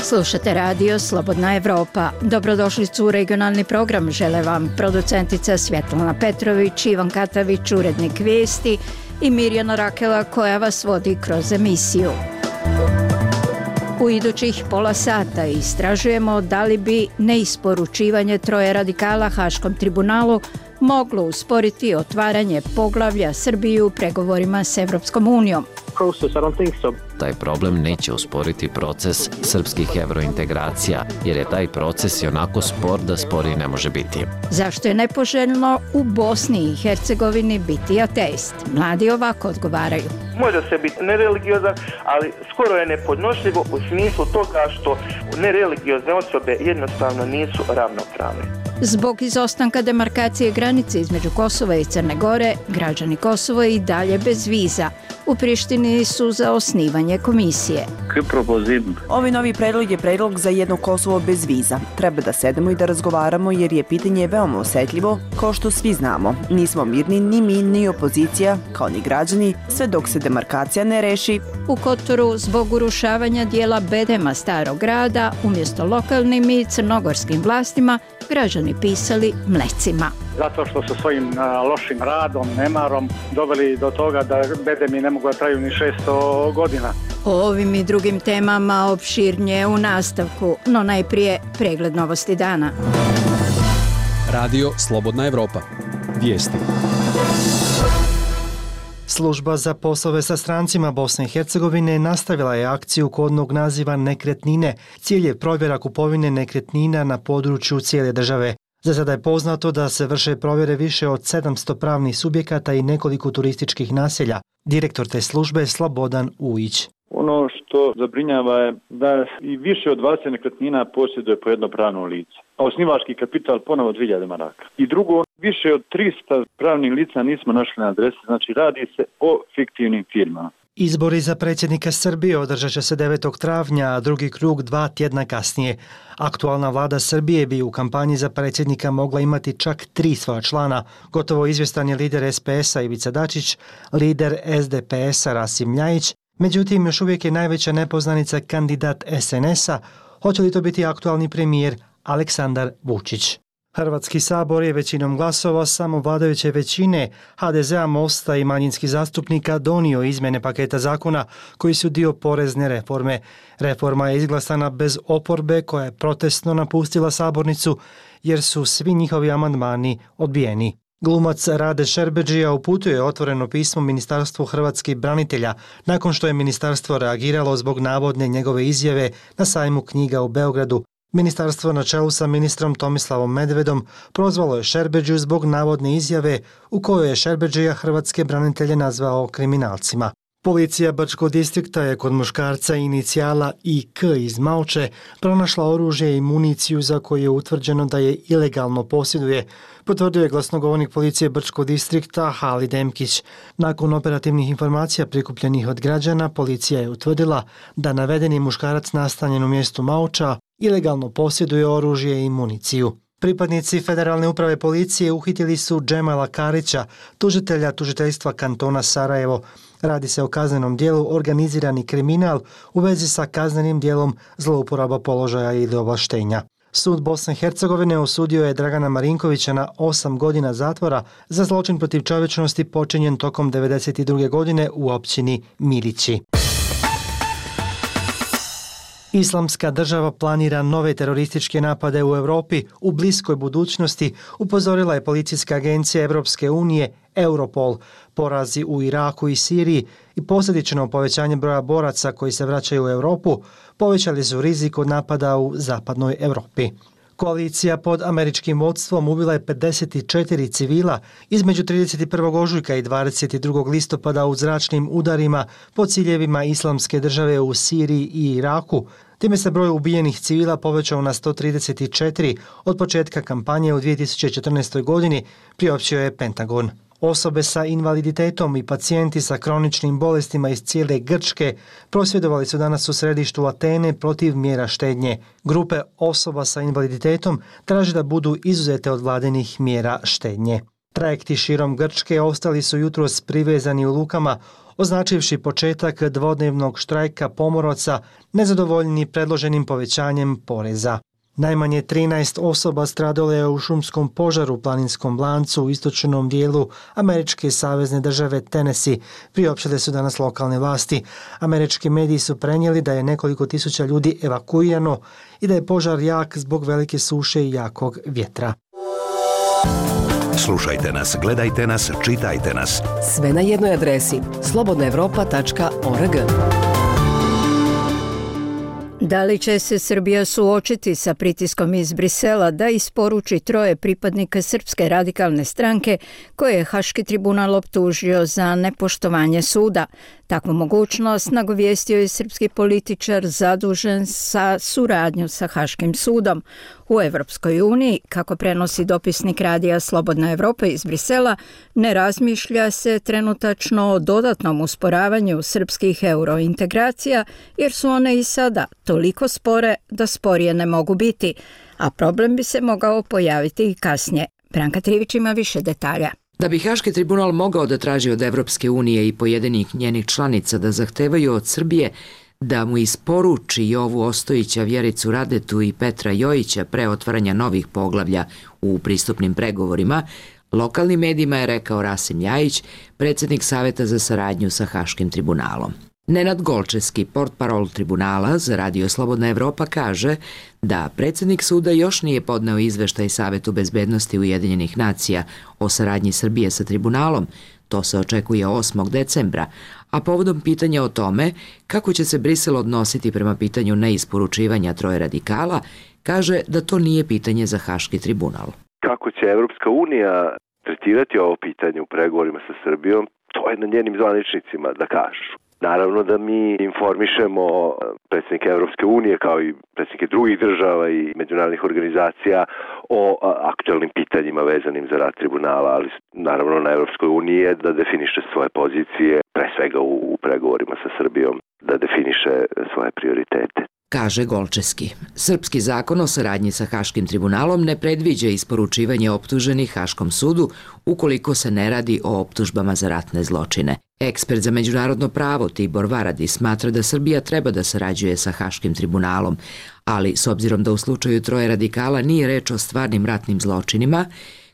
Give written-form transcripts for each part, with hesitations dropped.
Slušate radio Slobodna Evropa. Dobrodošli u regionalni program. Žele vam producentica Svjetlana Petrović, Ivan Katavić, urednik vijesti i Mirjana Rakela koja vas vodi kroz emisiju. U idućih pola sata istražujemo da li bi neisporučivanje 3 radikala Haškom tribunalu moglo usporiti otvaranje poglavlja Srbije u pregovorima s Evropskom unijom. Taj problem neće usporiti proces srpskih evrointegracija, jer je taj proces i onako spor da sporiji ne može biti. Zašto je nepoželjno u Bosni i Hercegovini biti ateist? Mladi ovako odgovaraju. Može se biti nereligiozan, ali skoro je nepodnošljivo u smislu toga što nereligiozne osobe jednostavno nisu ravnopravne. Zbog izostanka demarkacije granice između Kosova i Crne Gore, građani Kosova i dalje bez viza. U Prištini su za osnivanje komisije. Ovi novi predlog je predlog za jedno Kosovo bez viza. Treba da sedemo i da razgovaramo jer je pitanje veoma osjetljivo, kao što svi znamo. Nismo mirni ni mi, ni opozicija, kao ni građani, sve dok se demarkacija ne reši. U Kotoru zbog urušavanja dijela bedema starog grada, umjesto lokalnim i crnogorskim vlastima, građani pisali mlecima. Zato što su svojim lošim radom, nemarom doveli do toga da bedemi ne mogu da traju ni 600 godina. O ovim i drugim temama opširnije u nastavku, no najprije pregled novosti dana. Radio Slobodna Evropa. Vijesti. Služba za poslove sa strancima Bosne i Hercegovine nastavila je akciju kodnog naziva Nekretnine. Cilj je provjera kupovine nekretnina na području cijele države. Za sada je poznato da se vrše provjere više od 700 pravnih subjekata i nekoliko turističkih naselja. Direktor te službe je Slobodan Ujić. Ono što zabrinjava je da i više od 20 nekretnina posjeduje po jedno pravno lice, a osnivački kapital ponovo 2000 maraka. I drugo, više od 300 pravnih lica nismo našli na adresi, znači radi se o fiktivnim firmama. Izbori za predsjednika Srbije održat će se 9. travnja, a drugi krug 2 tjedna kasnije. Aktualna vlada Srbije bi u kampanji za predsjednika mogla imati čak 3 svoja člana. Gotovo izvjestan je lider SPS-a Ivica Dačić, lider SDP-a Rasim Ljajić. Međutim, još uvijek je najveća nepoznanica kandidat SNS-a. Hoće li to biti aktualni premijer Aleksandar Vučić? Hrvatski sabor je većinom glasova samo vladajuće većine HDZ-a, Mosta i manjinskih zastupnika donio izmjene paketa zakona koji su dio porezne reforme. Reforma je izglasana bez oporbe koja je protestno napustila sabornicu jer su svi njihovi amandmani odbijeni. Glumac Rade Šerbedžija uputio je otvoreno pismo Ministarstvu hrvatskih branitelja nakon što je ministarstvo reagiralo zbog navodne njegove izjave na sajmu knjiga u Beogradu. Ministarstvo na čelu sa ministrom Tomislavom Medvedom prozvalo je Šerbedžiju zbog navodne izjave u kojoj je Šerbedžija hrvatske branitelje nazvao kriminalcima. Policija Brčkog distrikta je kod muškarca inicijala IK iz Malče pronašla oružje i municiju za koju je utvrđeno da je ilegalno posjeduje, potvrdio je glasnogovornik policije Brčkog distrikta Halid Emkić. Nakon operativnih informacija prikupljenih od građana, policija je utvrdila da navedeni muškarac nastanjen u mjestu Malča ilegalno posjeduje oružje i municiju. Pripadnici Federalne uprave policije uhitili su Džemala Karića, tužitelja tužiteljstva kantona Sarajevo. Radi se o kaznenom dijelu organizirani kriminal u vezi sa kaznenim dijelom zlouporaba položaja ili ovlaštenja. Sud Bosne i Hercegovine osudio je Dragana Marinkovića na 8 godina zatvora za zločin protiv čovječnosti počinjen tokom 1992. godine u općini Milići. Islamska država planira nove terorističke napade u Europi u bliskoj budućnosti, upozorila je policijska agencija Europske unije Europol. Porazi u Iraku i Siriji i posljedično povećanje broja boraca koji se vraćaju u Europu povećali su rizik od napada u zapadnoj Europi. Koalicija pod američkim vodstvom ubila je 54 civila između 31. ožujka i 22. listopada u zračnim udarima po ciljevima Islamske države u Siriji i Iraku. Time se broj ubijenih civila povećao na 134 od početka kampanje u 2014. godini, priopćio je Pentagon. Osobe sa invaliditetom i pacijenti sa kroničnim bolestima iz cijele Grčke prosvjedovali su danas u središtu Atene protiv mjera štednje. Grupe osoba sa invaliditetom traže da budu izuzete od vladinih mjera štednje. Trajekti širom Grčke ostali su jutros privezani u lukama, označivši početak dvodnevnog štrajka pomoraca nezadovoljni predloženim povećanjem poreza. Najmanje 13 osoba stradalo je u šumskom požaru u planinskom lancu u istočnom dijelu američke savezne države Tennessee, priopštile su danas lokalne vlasti. Američki mediji su prenijeli da je nekoliko tisuća ljudi evakuirano i da je požar jak zbog velike suše i jakog vjetra. Slušajte nas, gledajte nas, čitajte nas. Sve na jednoj adresi slobodnaevropa.org. Da li će se Srbija suočiti sa pritiskom iz Brisela da isporuči 3 pripadnika Srpske radikalne stranke koje je Haški tribunal optužio za nepoštovanje suda? Takvu mogućnost nagovijestio je srpski političar zadužen za suradnju sa Haškim sudom. U Evropskoj uniji, kako prenosi dopisnik radija Slobodna Evropa iz Brisela, ne razmišlja se trenutačno o dodatnom usporavanju srpskih eurointegracija, jer su one i sada toliko spore da sporije ne mogu biti, a problem bi se mogao pojaviti i kasnije. Branka Trivić ima više detalja. Da bi Haški tribunal mogao da traži od Evropske unije i pojedinih njenih članica da zahtevaju od Srbije da mu isporuči Jovu Ostojića, Vjericu Radetu i Petra Jojića pre otvaranja novih poglavlja u pristupnim pregovorima, lokalnim medijima je rekao Rasim Ljajić, predsjednik Saveta za saradnju sa Haškim tribunalom. Nenad Golčevski, portparol tribunala za Radio Slobodna Evropa, kaže da predsjednik suda još nije podneo izveštaj Savetu bezbednosti Ujedinjenih nacija o saradnji Srbije sa tribunalom. To se očekuje 8. decembra, a povodom pitanja o tome kako će se Brisel odnositi prema pitanju neisporučivanja 3 radikala, kaže da to nije pitanje za Haški tribunal. Kako će Evropska unija tretirati ovo pitanje u pregovorima sa Srbijom, to je na njenim zvaničnicima da kažu. Naravno da mi informišemo predsjednike Evropske unije kao i predsjednike drugih država i međunarodnih organizacija o aktualnim pitanjima vezanim za rad tribunala, ali naravno na Evropskoj uniji je da definiše svoje pozicije, pre svega u pregovorima sa Srbijom, da definiše svoje prioritete. Kaže Golčevski. Srpski zakon o saradnji sa Haškim tribunalom ne predviđa isporučivanje optuženih Haškom sudu ukoliko se ne radi o optužbama za ratne zločine. Ekspert za međunarodno pravo Tibor Varadi smatra da Srbija treba da sarađuje sa Haškim tribunalom, ali s obzirom da u slučaju 3 radikala nije reč o stvarnim ratnim zločinima,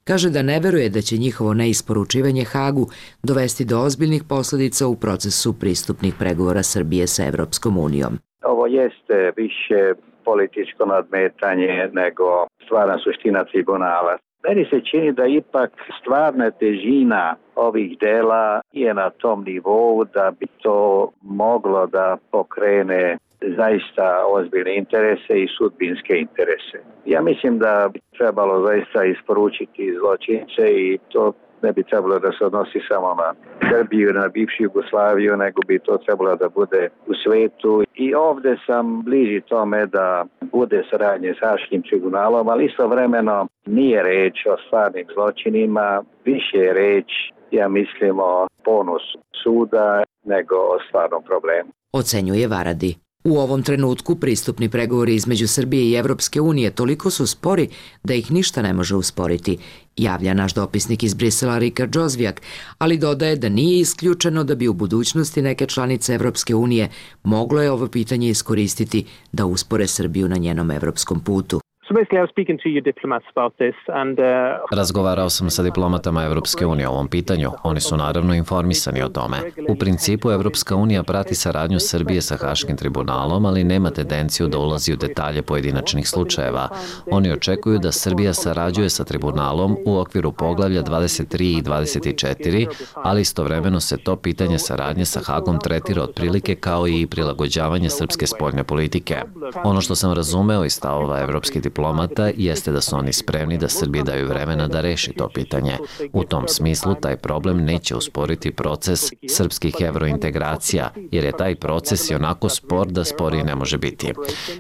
kaže da ne veruje da će njihovo neisporučivanje Hagu dovesti do ozbiljnih posljedica u procesu pristupnih pregovora Srbije sa Evropskom unijom. Ovo jeste više političko nadmetanje nego stvarna suština tribunala. Meni se čini da ipak stvarna težina ovih dela je na tom nivou da bi to moglo da pokrene zaista ozbiljne interese i sudbinske interese. Ja mislim da bi trebalo zaista isporučiti zločince i to ne bi trebalo da se odnosi samo na Srbiju, na bivšu Jugoslaviju, nego bi to trebalo da bude u svetu. I ovdje sam bliži tome da bude saradnje s Haškim tribunalom, ali istovremeno nije reč o stvarnim zločinima, više je reč, ja mislim, o ponosu suda nego o stvarnom problemu. Ocenjuje Varadi. U ovom trenutku pristupni pregovori između Srbije i Evropske unije toliko su spori da ih ništa ne može usporiti, javlja naš dopisnik iz Brisela Rikard Džozvijak, ali dodaje da nije isključeno da bi u budućnosti neke članice Evropske unije moglo je ovo pitanje iskoristiti da uspore Srbiju na njenom evropskom putu. Razgovarao sam sa diplomatama Evropske unije o ovom pitanju. Oni su naravno informisani o tome. U principu Evropska unija prati saradnju Srbije sa Haškim tribunalom, ali nema tendenciju da ulazi u detalje pojedinačnih slučajeva. Oni očekuju da Srbija sarađuje sa tribunalom u okviru poglavlja 23 i 24, ali istovremeno se to pitanje saradnje sa Hagom tretira otprilike kao i prilagođavanje srpske spoljne politike. Ono što sam razumeo iz stavova evropskih diplomata jeste da su oni spremni da Srbiji daju vremena da reši to pitanje. U tom smislu taj problem neće usporiti proces srpskih evrointegracija, jer je taj proces i onako spor da sporiji ne može biti.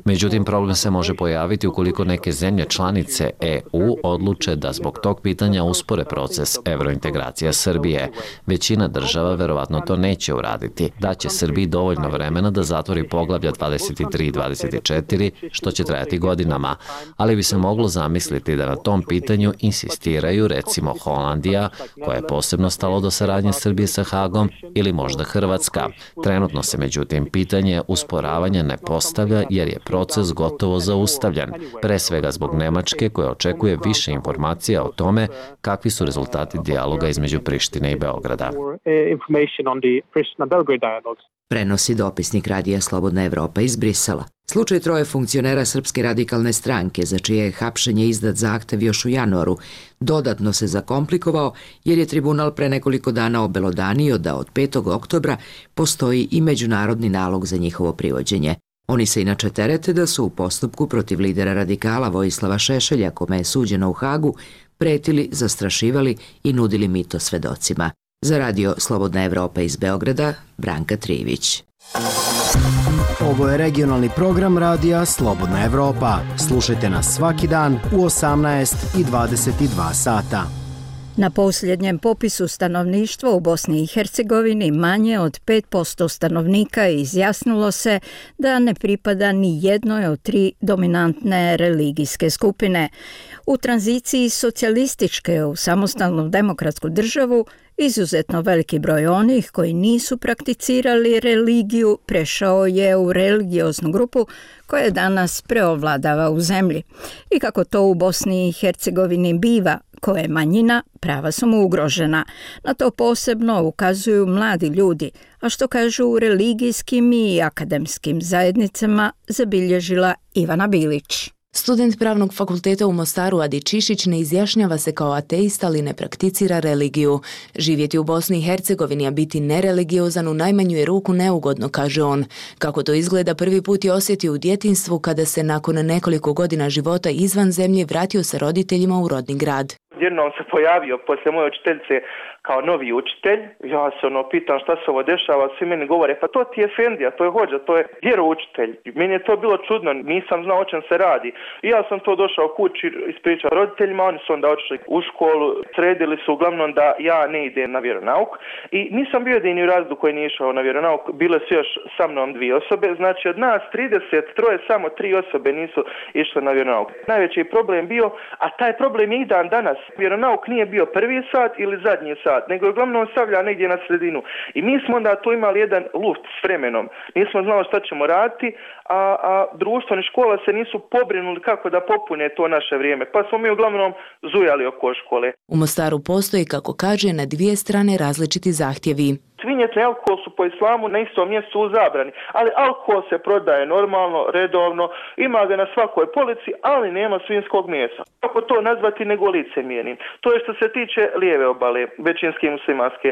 Međutim, problem se može pojaviti ukoliko neke zemlje članice EU odluče da zbog tog pitanja uspore proces evrointegracija Srbije. Većina država verovatno to neće uraditi. Daće Srbiji dovoljno vremena da zatvori poglavlja 23 i 24, što će trajati godinama. ali bi se moglo zamisliti da na tom pitanju insistiraju recimo Holandija, koja je posebno stalo do saradnje Srbije sa Hagom, ili možda Hrvatska. Trenutno se međutim pitanje usporavanja ne postavlja jer je proces gotovo zaustavljen, pre svega zbog Nemačke koja očekuje više informacija o tome kakvi su rezultati dijaloga između Prištine i Beograda. Prenosi dopisnik Radija Slobodna Evropa iz Brisela. Slučaj 3 funkcionera Srpske radikalne stranke, za čije je hapšenje izdat zahtev još u januaru, dodatno se zakomplikovao jer je tribunal pre nekoliko dana obelodanio da od 5. oktobra postoji i međunarodni nalog za njihovo privođenje. Oni se inače terete da su u postupku protiv lidera radikala Vojislava Šešelja, kome je suđeno u Hagu, pretili, zastrašivali i nudili mito svedocima. Za Radio Slobodna Evropa iz Beograda, Branka Trivić. Ovo je regionalni program Radija Slobodna Evropa. Slušajte nas svaki dan u 18 i 22 sata. Na posljednjem popisu stanovništva u Bosni i Hercegovini manje od 5% stanovnika izjasnilo se da ne pripada ni jednoj od 3 dominantne religijske skupine. U tranziciji socijalističke u samostalnu demokratsku državu izuzetno veliki broj onih koji nisu prakticirali religiju prešao je u religioznu grupu koja danas preovladava u zemlji. I kako to u Bosni i Hercegovini biva, ko je manjina, prava su mu ugrožena. Na to posebno ukazuju mladi ljudi, a što kažu u religijskim i akademskim zajednicama zabilježila Ivana Bilić. Student Pravnog fakulteta u Mostaru Adi Čišić ne izjašnjava se kao ateista, ali ne prakticira religiju. Živjeti u Bosni i Hercegovini, a biti nereligiozan u najmanju je ruku neugodno, kaže on. Kako to izgleda, prvi put je osjetio u djetinjstvu kada se nakon nekoliko godina života izvan zemlje vratio sa roditeljima u rodni grad. Jednom se pojavio poslije moje učiteljice kao novi učitelj. Ja se pitam šta se ovo dešava, svi meni govore pa to ti je efendija, to je hođa, to je vjeroučitelj. Meni je to bilo čudno, nisam znao o čem se radi. I ja sam to došao kući, ispričao roditeljima, oni su onda otišli u školu, sredili su uglavnom da ja ne idem na vjeronauk. I nisam bio jedini u razredu koji nije išao na vjeronauk, bile su još sa mnom 2 osobe, znači od nas 33 samo 3 osobe nisu išle na vjeronauk. Najveći problem bio, a taj problem je i dan danas. Vjeronauk nije bio prvi sat ili zadnji sat, nego je uglavnom stavlja negdje na sredinu. I mi smo onda tu imali jedan luft s vremenom. Nismo znali šta ćemo raditi, a društvo ni škola se nisu pobrinuli kako da popune to naše vrijeme. Pa smo mi uglavnom zujali oko škole. U Mostaru postoji, kako kaže, na 2 strane različiti zahtjevi. Svinjetni alkohol su po islamu na istom mjestu u zabrani, ali alkohol se prodaje normalno, redovno, ima ga na svakoj polici, ali nema svinjskog mesa. Kako to nazvati nego licemjernim? To je što se tiče lijeve obale, većinski muslimanske.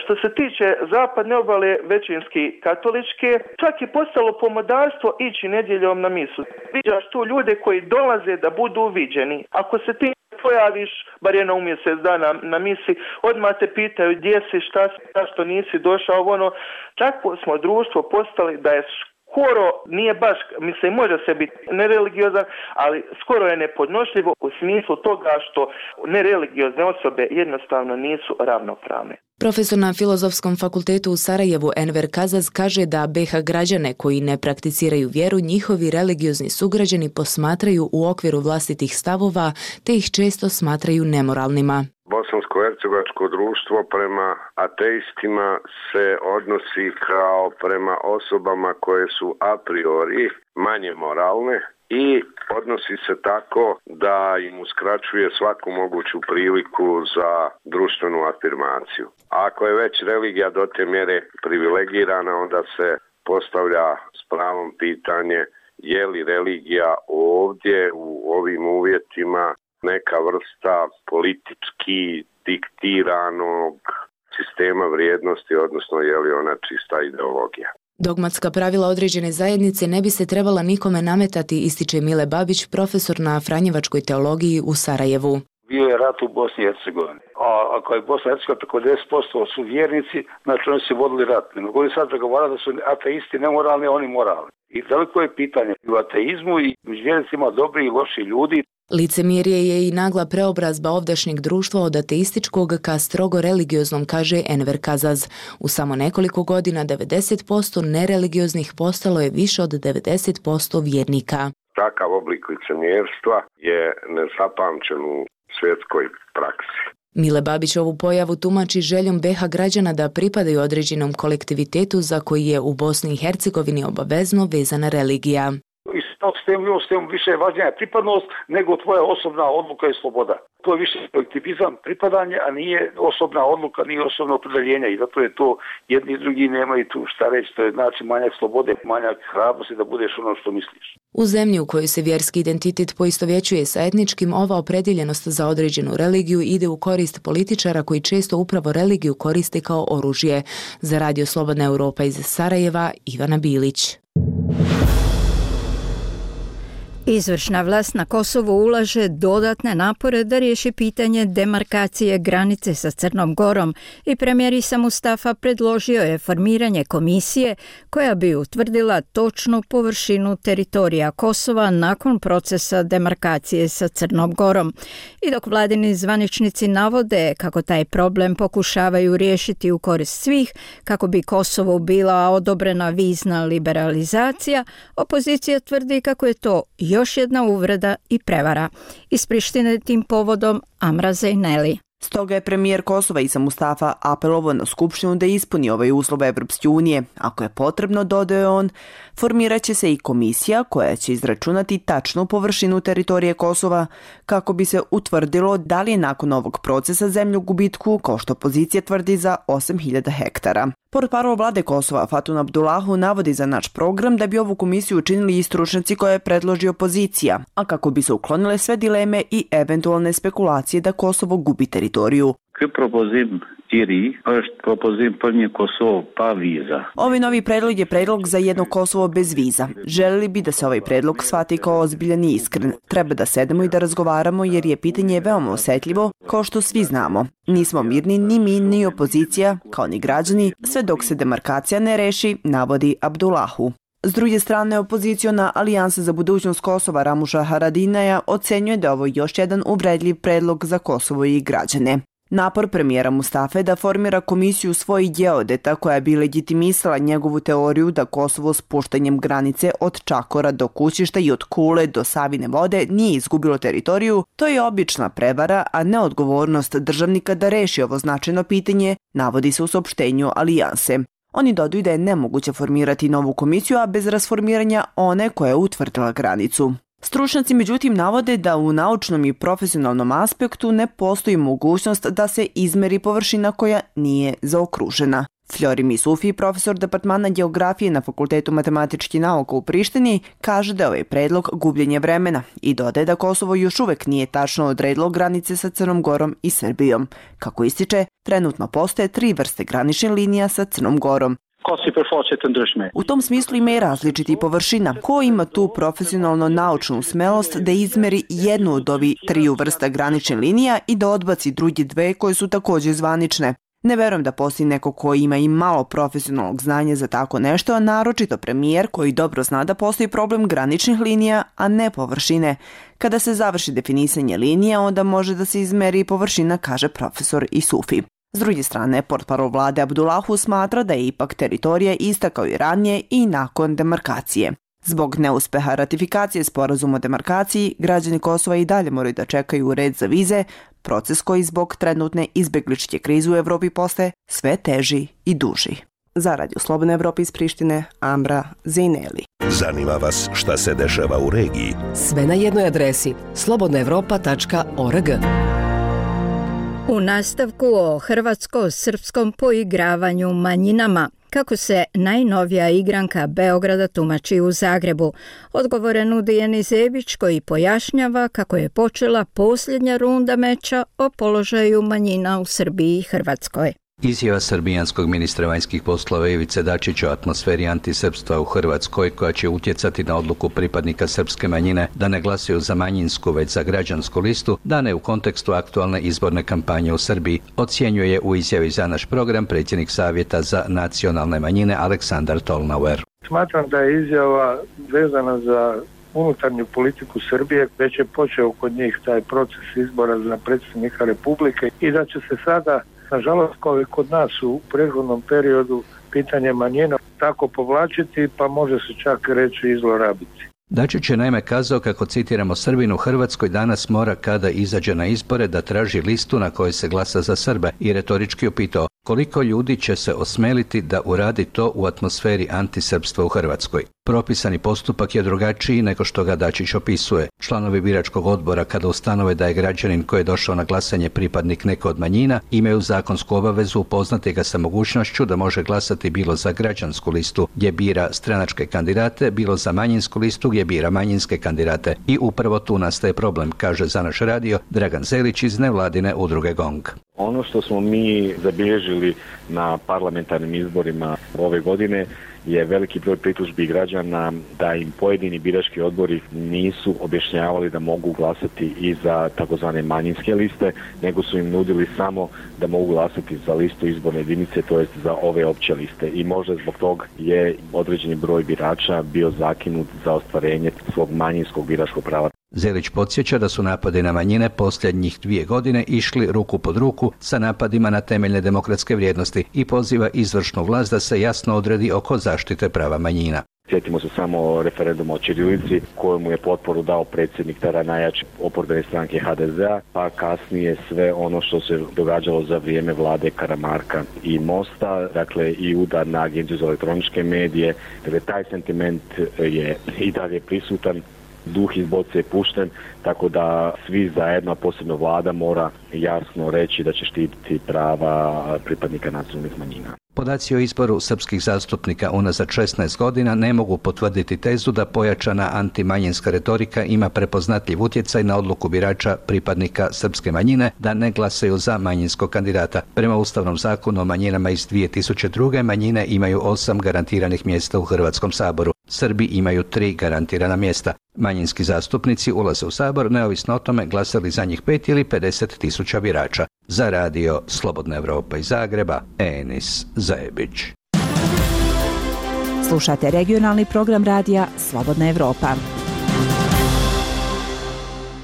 Što se tiče zapadne obale, većinski katoličke, čak je postalo pomodarstvo ići nedjeljom na misu. Viđaš tu ljude koji dolaze da budu viđeni. Ako se ti pojaviš, bar jednom u mjesec dana na misi, odmah te pitaju gdje si, šta si, zašto nisi došao, Tako smo društvo postali da je skoro, nije baš, mislim, može se biti nereligiozan, ali skoro je nepodnošljivo u smislu toga što nereligiozne osobe jednostavno nisu ravnopravne. Profesor na Filozofskom fakultetu u Sarajevu Enver Kazaz kaže da BiH građane koji ne prakticiraju vjeru njihovi religiozni sugrađani posmatraju u okviru vlastitih stavova te ih često smatraju nemoralnima. Bosansko-hercegovačko društvo prema ateistima se odnosi kao prema osobama koje su a priori manje moralne i odnosi se tako da im uskraćuje svaku moguću priliku za društvenu afirmaciju. Ako je već religija do te mjere privilegirana, onda se postavlja s pravom pitanje je li religija ovdje u ovim uvjetima neka vrsta politički diktiranog sistema vrijednosti, odnosno je li ona čista ideologija. Dogmatska pravila određene zajednice ne bi se trebala nikome nametati, ističe Mile Babić, profesor na Franjevačkoj teologiji u Sarajevu. Bio je rat u Bosni i Hercegovini. A ako je Bosna i Hercegovina preko 10% su vjernici, znači oni su vodili rat. Ne mogu li sad pregovarati da su ateisti nemoralni, a oni moralni. I veliko je pitanje u ateizmu i među vjernicima dobri i loši ljudi. Licemjerje je i nagla preobrazba ovdašnjeg društva od ateističkog ka strogo religioznom, kaže Enver Kazaz. U samo nekoliko godina 90% nereligioznih postalo je više od 90% vjernika. Takav oblik licemjerstva je nezapamćen u svjetskoj praksi. Mile Babić ovu pojavu tumači željom BiH građana da pripadaju određenom kolektivitetu za koji je u Bosni i Hercegovini obavezno vezana religija. I s tem više je važnija pripadnost nego tvoja osobna odluka i sloboda. To je više kolektivizam, pripadanje, a nije osobna odluka, nije osobno opredeljenje i zato je to jedni i drugi nemaju tu šta reći, to je znači manjak slobode, manjak hrabrosti da budeš ono što misliš. U zemlji u kojoj se vjerski identitet poistovjećuje sa etničkim, ova opredjeljenost za određenu religiju ide u korist političara koji često upravo religiju koriste kao oružje. Za Radio Slobodna Europa iz Sarajeva, Ivana Bilić. Izvršna vlast na Kosovu ulaže dodatne napore da riješi pitanje demarkacije granice sa Crnom Gorom i premijer Isa Mustafa predložio je formiranje komisije koja bi utvrdila točnu površinu teritorija Kosova nakon procesa demarkacije sa Crnom Gorom. I dok vladini zvaničnici navode kako taj problem pokušavaju riješiti u korist svih, kako bi Kosovu bila odobrena vizna liberalizacija, opozicija tvrdi kako je to još jedna uvreda i prevara. Iz Prištine tim povodom Amra Zejneli. Stoga je premijer Kosova Isa Mustafa apelovao na Skupštinu da ispuni ovaj uslov Evropske unije. Ako je potrebno, dodao je on, formirat će se i komisija koja će izračunati tačnu površinu teritorije Kosova kako bi se utvrdilo da li je nakon ovog procesa zemlju gubitku, kao što opozicija tvrdi, za 8.000 hektara. Portparol vlade Kosova Fatun Abdullahu navodi za naš program da bi ovu komisiju učinili i stručnjaci koje je predloži opozicija, a kako bi se uklonile sve dileme i eventualne spekulacije da Kosovo gubi teritoriju. Ovaj novi predlog je predlog za jedno Kosovo bez viza. Želili bi da se ovaj predlog shvati kao ozbiljan i iskren. Treba da sedemo i da razgovaramo jer je pitanje veoma osjetljivo, kao što svi znamo. Nismo mirni ni mi ni opozicija, kao ni građani, sve dok se demarkacija ne reši, navodi Abdullahu. S druge strane, opoziciona Alijansa za budućnost Kosova Ramuša Haradinaja ocenjuje da je ovo još jedan uvredljiv predlog za Kosovo i građane. Napor premijera Mustafe da formira komisiju svojih geodeta koja bi legitimisala njegovu teoriju da Kosovo s puštanjem granice od Čakora do Kućišta i od Kule do Savine vode nije izgubilo teritoriju, to je obična prevara, a ne odgovornost državnika da reši ovo značajno pitanje, navodi se u saopštenju Alijanse. Oni dodaju da je nemoguće formirati novu komisiju, a bez rasformiranja one koja je utvrdila granicu. Stručnjaci međutim navode da u naučnom i profesionalnom aspektu ne postoji mogućnost da se izmeri površina koja nije zaokružena. Flori Misufi, profesor departmana geografije na Fakultetu matematičkih nauka u Prištini, kaže da je ovaj predlog gubljenje vremena i dodaje da Kosovo još uvek nije tačno odredilo granice sa Crnom Gorom i Srbijom. Kako ističe, trenutno postoje 3 vrste graničnih linija sa Crnom Gorom. U tom smislu ima i različiti površina. Ko ima tu profesionalno naučnu smelost da izmeri jednu od ovih 3 vrsta graničnih linija i da odbaci drugi 2 koje su također zvanične? Ne verujem da postoji neko ko ima i malo profesionalnog znanja za tako nešto, a naročito premijer koji dobro zna da postoji problem graničnih linija, a ne površine. Kada se završi definisanje linija, onda može da se izmeri površina, kaže profesor Isufi. S druge strane, portparol vlade Abdullahu smatra da je ipak teritorija ista kao i ranije i nakon demarkacije. Zbog neuspeha ratifikacije sporazuma o demarkaciji, građani Kosova i dalje moraju da čekaju red za vize, proces koji zbog trenutne izbegličke krize u Evropi postaje sve teži i duži. Za Radio Slobodna Evropa iz Prištine, Amra Zejneli. Zanima vas šta se dešava u regiji? Sve na jednoj adresi slobodnaevropa.org. U nastavku o hrvatsko-srpskom poigravanju manjinama, kako se najnovija igranka Beograda tumači u Zagrebu, odgovore nudi Jeni Zebić koji pojašnjava kako je počela posljednja runda meča o položaju manjina u Srbiji i Hrvatskoj. Izjava srbijanskog ministra vanjskih poslova Ivice Dačića o atmosferi antisrpstva u Hrvatskoj, koja će utjecati na odluku pripadnika srpske manjine da ne glasuju za manjinsku već za građansku listu, dane u kontekstu aktualne izborne kampanje u Srbiji, ocjenjuje u izjavi za naš program predsjednik Savjeta za nacionalne manjine Aleksandar Tolnauer. Smatram da je izjava vezana za unutarnju politiku Srbije, već je počeo kod njih taj proces izbora za predsjednika Republike i da će se sada, nažalost, kao i kod nas u prethodnom periodu, pitanje manjina tako povlačiti, pa može se čak reći i zlorabiti. Dačić je naime kazao kako, citiramo, Srbin u Hrvatskoj danas mora kada izađe na izbore da traži listu na kojoj se glasa za Srbe i retorički upitao koliko ljudi će se osmeliti da uradi to u atmosferi antisrpstva u Hrvatskoj. Propisani postupak je drugačiji nego što ga Dačić opisuje. Članovi biračkog odbora, kada ustanove da je građanin koji je došao na glasanje pripadnik neke od manjina, imaju zakonsku obavezu upoznati ga sa mogućnošću da može glasati bilo za građansku listu gdje bira stranačke kandidate, bilo za manjinsku listu gdje bira manjinske kandidate. I upravo tu nastaje problem, kaže za naš radio Dragan Zelić iz nevladine udruge GONG. Ono što smo mi zabilježili na parlamentarnim izborima ove godine je veliki broj pritužbi građana da im pojedini birački odbori nisu objašnjavali da mogu glasati i za takozvane manjinske liste, nego su im nudili samo da mogu glasati za listu izborne jedinice, to jest za ove opće liste. I možda zbog toga je određeni broj birača bio zakinut za ostvarenje svog manjinskog biračkog prava. Zelić podsjeća da su napadi na manjine posljednjih 2 godine išli ruku pod ruku sa napadima na temeljne demokratske vrijednosti i poziva izvršnu vlast da se jasno odredi oko zaštite prava manjina. Sjetimo se samo referenduma o ćirilici kojemu je potporu dao predsjednik tada najjače oporbene stranke HDZ-a, pa kasnije sve ono što se događalo za vrijeme vlade Karamarka i Mosta, dakle i udar na Agenciju za elektroničke medije. Dakle, taj sentiment je i dalje prisutan. Duh iz boce je pušten, tako da svi zajedno, a posebno vlada, mora jasno reći da će štititi prava pripadnika nacionalnih manjina. Podaci o izboru srpskih zastupnika unazad 16 godina ne mogu potvrditi tezu da pojačana antimanjinska retorika ima prepoznatljiv utjecaj na odluku birača pripadnika srpske manjine da ne glasaju za manjinskog kandidata. Prema Ustavnom zakonu o manjinama iz 2002. manjine imaju 8 garantiranih mjesta u Hrvatskom saboru. Srbi imaju 3 garantirana mjesta. Manjinski zastupnici ulaze u sabor neovisno o tome glasali za njih 5 ili 50.000 birača. Za radio Slobodna Evropa iz Zagreba, Enis Zajebić. Slušate regionalni program radija Slobodna Evropa.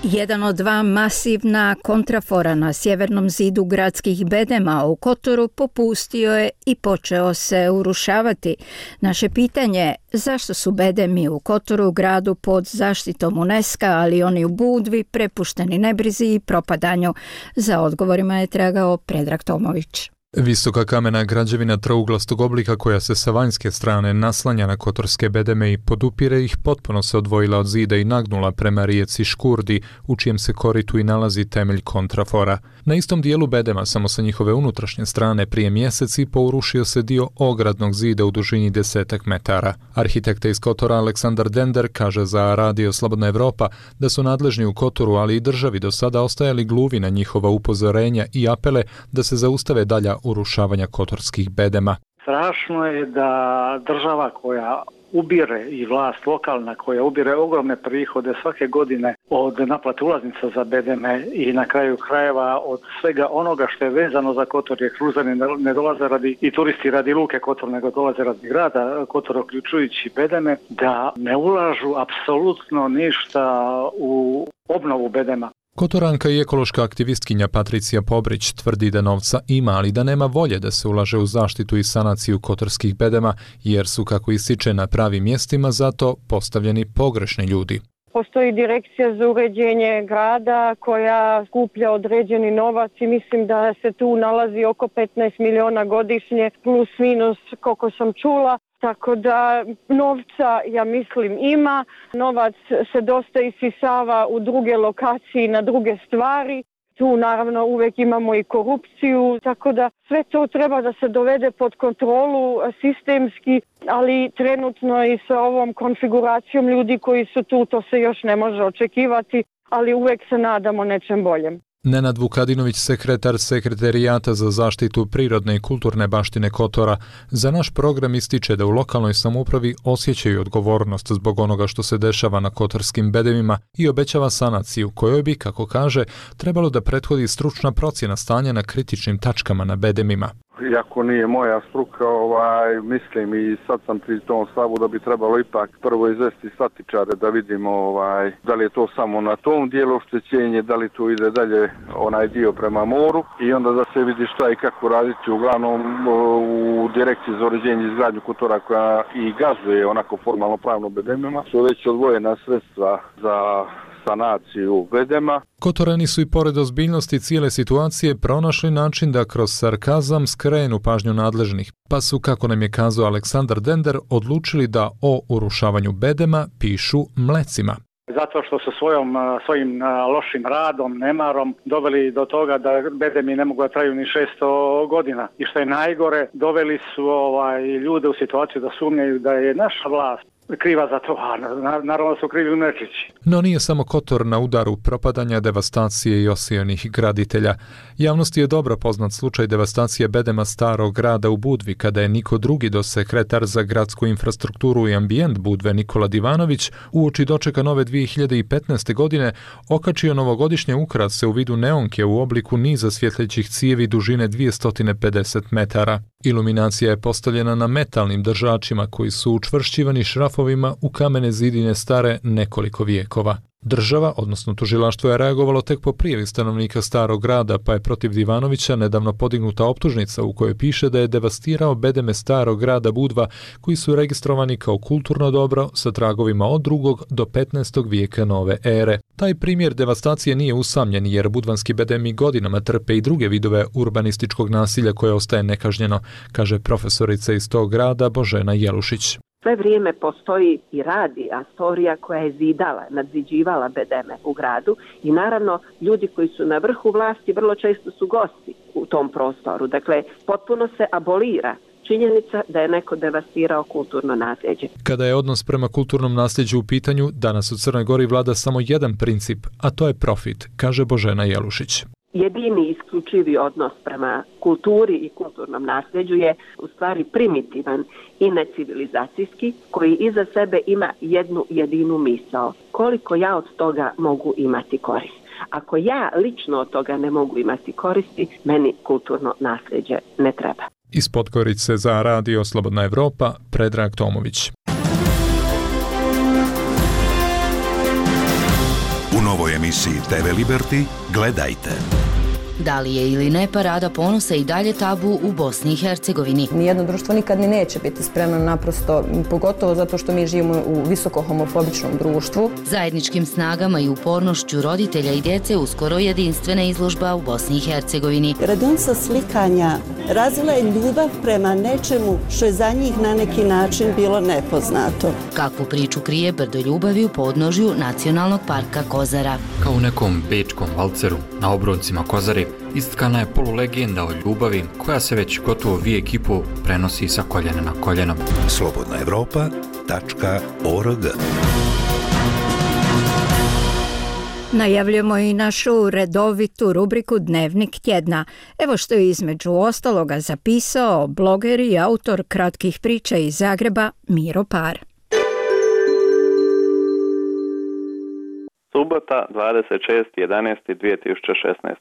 Jedan od 2 masivna kontrafora na sjevernom zidu gradskih bedema u Kotoru popustio je i počeo se urušavati. Naše pitanje je zašto su bedemi u Kotoru, gradu pod zaštitom UNESCO, ali oni u Budvi, prepušteni nebrizi i propadanju. Za odgovorima je tragao Predrag Tomović. Visoka kamena građevina trouglastog oblika koja se sa vanjske strane naslanja na kotorske bedeme i podupire ih potpuno se odvojila od zida i nagnula prema rijeci Škurdi, u čijem se koritu i nalazi temelj kontrafora. Na istom dijelu bedema, samo sa njihove unutrašnje strane, prije mjesec i po urušio se dio ogradnog zida u dužini 10 metara. Arhitekta iz Kotora Aleksandar Dender kaže za radio Slobodna Evropa da su nadležni u Kotoru, ali i državi do sada ostajali gluvi na njihova upozorenja i apele da se zaustave dalja urušavanja kotorskih bedema. Strašno je da država koja ubire i vlast lokalna koja ubire ogromne prihode svake godine od naplate ulaznica za bedeme i na kraju krajeva od svega onoga što je vezano za Kotor, jer kruzani ne dolaze radi i turisti radi luke Kotor, nego dolaze radi grada Kotor, uključujući bedeme, da ne ulažu apsolutno ništa u obnovu bedema. Kotoranka i ekološka aktivistkinja Patricija Pobrić tvrdi da novca ima, ali da nema volje da se ulaže u zaštitu i sanaciju kotorskih bedema, jer su, kako ističe, na pravim mjestima zato postavljeni pogrešni ljudi. Postoji direkcija za uređenje grada koja skuplja određeni novac i mislim da se tu nalazi oko 15 miliona godišnje, plus minus koliko sam čula. Tako da novca, ja mislim, ima. Novac se dosta isisava u druge lokacije, na druge stvari. Tu naravno uvijek imamo i korupciju, tako da sve to treba da se dovede pod kontrolu sistemski, ali trenutno i sa ovom konfiguracijom ljudi koji su tu, to se još ne može očekivati, ali uvijek se nadamo nečem boljem. Nenad Vukadinović, sekretar Sekretarijata za zaštitu prirodne i kulturne baštine Kotora, za naš program ističe da u lokalnoj samoupravi osjećaju odgovornost zbog onoga što se dešava na kotorskim bedemima i obećava sanaciju kojoj bi, kako kaže, trebalo da prethodi stručna procjena stanja na kritičnim tačkama na bedemima. Iako nije moja struka, mislim i sad sam pri tom stavu da bi trebalo ipak prvo izvesti statičare da vidimo da li je to samo na tom dijelu oštećenje, da li to ide dalje onaj dio prema moru i onda da se vidi šta i kako raditi. Uglavnom u direkciji za uređenje i izgradnju kotora koja i gazduje onako formalno pravno bedemima su već odvojena sredstva za sanaciju bedema. Kotorani su i pored ozbiljnosti cijele situacije pronašli način da kroz sarkazam skrenu pažnju nadležnih, pa su, kako nam je kazao Aleksandar Dender, odlučili da o urušavanju bedema pišu mlecima. Zato što su svojim lošim radom, nemarom doveli do toga da bedemi ne mogu da traju ni 600 godina. I što je najgore, doveli su ljude u situaciju da sumnjaju da je naša vlast kriva za to, a naravno su krivi u Nečići. No nije samo Kotor na udaru propadanja, devastacije i osijenih graditelja. Javnosti je dobro poznat slučaj devastacije bedema Starog grada u Budvi, kada je Niko II, dosekretar za gradsku infrastrukturu i ambijent Budve Nikola Divanović, uoči dočeka nove 2015. godine okačio novogodišnje ukrase u vidu neonke u obliku niza svjetlećih cijevi dužine 250 metara. Iluminacija je postavljena na metalnim držačima koji su učvršćivani šrafovima u kamene zidine stare nekoliko vijekova. Država, odnosno tužilaštvo, je reagovalo tek po prijavi stanovnika Starog grada, pa je protiv Divanovića nedavno podignuta optužnica u kojoj piše da je devastirao bedeme Starog grada Budva, koji su registrovani kao kulturno dobro sa tragovima od 2. do 15. vijeka nove ere. Taj primjer devastacije nije usamljen, jer budvanski bedemi godinama trpe i druge vidove urbanističkog nasilja koje ostaje nekažnjeno, kaže profesorica iz tog grada Božena Jelušić. Sve vrijeme postoji i radi Astorija koja je zidala, nadziđivala bedeme u gradu i naravno ljudi koji su na vrhu vlasti vrlo često su gosti u tom prostoru. Dakle, potpuno se abolira činjenica da je neko devastirao kulturno nasljeđe. Kada je odnos prema kulturnom nasljeđu u pitanju, danas u Crnoj Gori vlada samo jedan princip, a to je profit, kaže Božena Jelušić. Jedini isključivi odnos prema kulturi i kulturnom nasljeđu je u stvari primitivan i necivilizacijski, koji iza sebe ima jednu jedinu misao. Koliko ja od toga mogu imati korist? Ako ja lično od toga ne mogu imati koristi, meni kulturno nasljeđe ne treba. Iz Podgorice za Radio Slobodna Evropa, Predrag Tomović. U novoj emisiji TV Liberty gledajte. Da li je ili ne parada ponosa i dalje tabu u Bosni i Hercegovini? Nijedno društvo nikad ni neće biti spremno, naprosto, pogotovo zato što mi živimo u visoko homofobičnom društvu. Zajedničkim snagama i upornošću roditelja i djece uskoro jedinstvena izložba u Bosni i Hercegovini. Radionica slikanja razvila je ljubav prema nečemu što je za njih na neki način bilo nepoznato. Kakvu priču krije brdo ljubavi u podnožju Nacionalnog parka Kozara? Kao u nekom bečkom valceru na obroncima Kozare istkana je polulegenda o ljubavi koja se već gotovo vijek i pol prenosi sa koljena na koljeno. slobodnaevropa.org. Najavljamo i našu redovitu rubriku Dnevnik tjedna. Evo što je između ostaloga zapisao bloger i autor kratkih priča iz Zagreba Miro Par. Subota, 26.11.2016.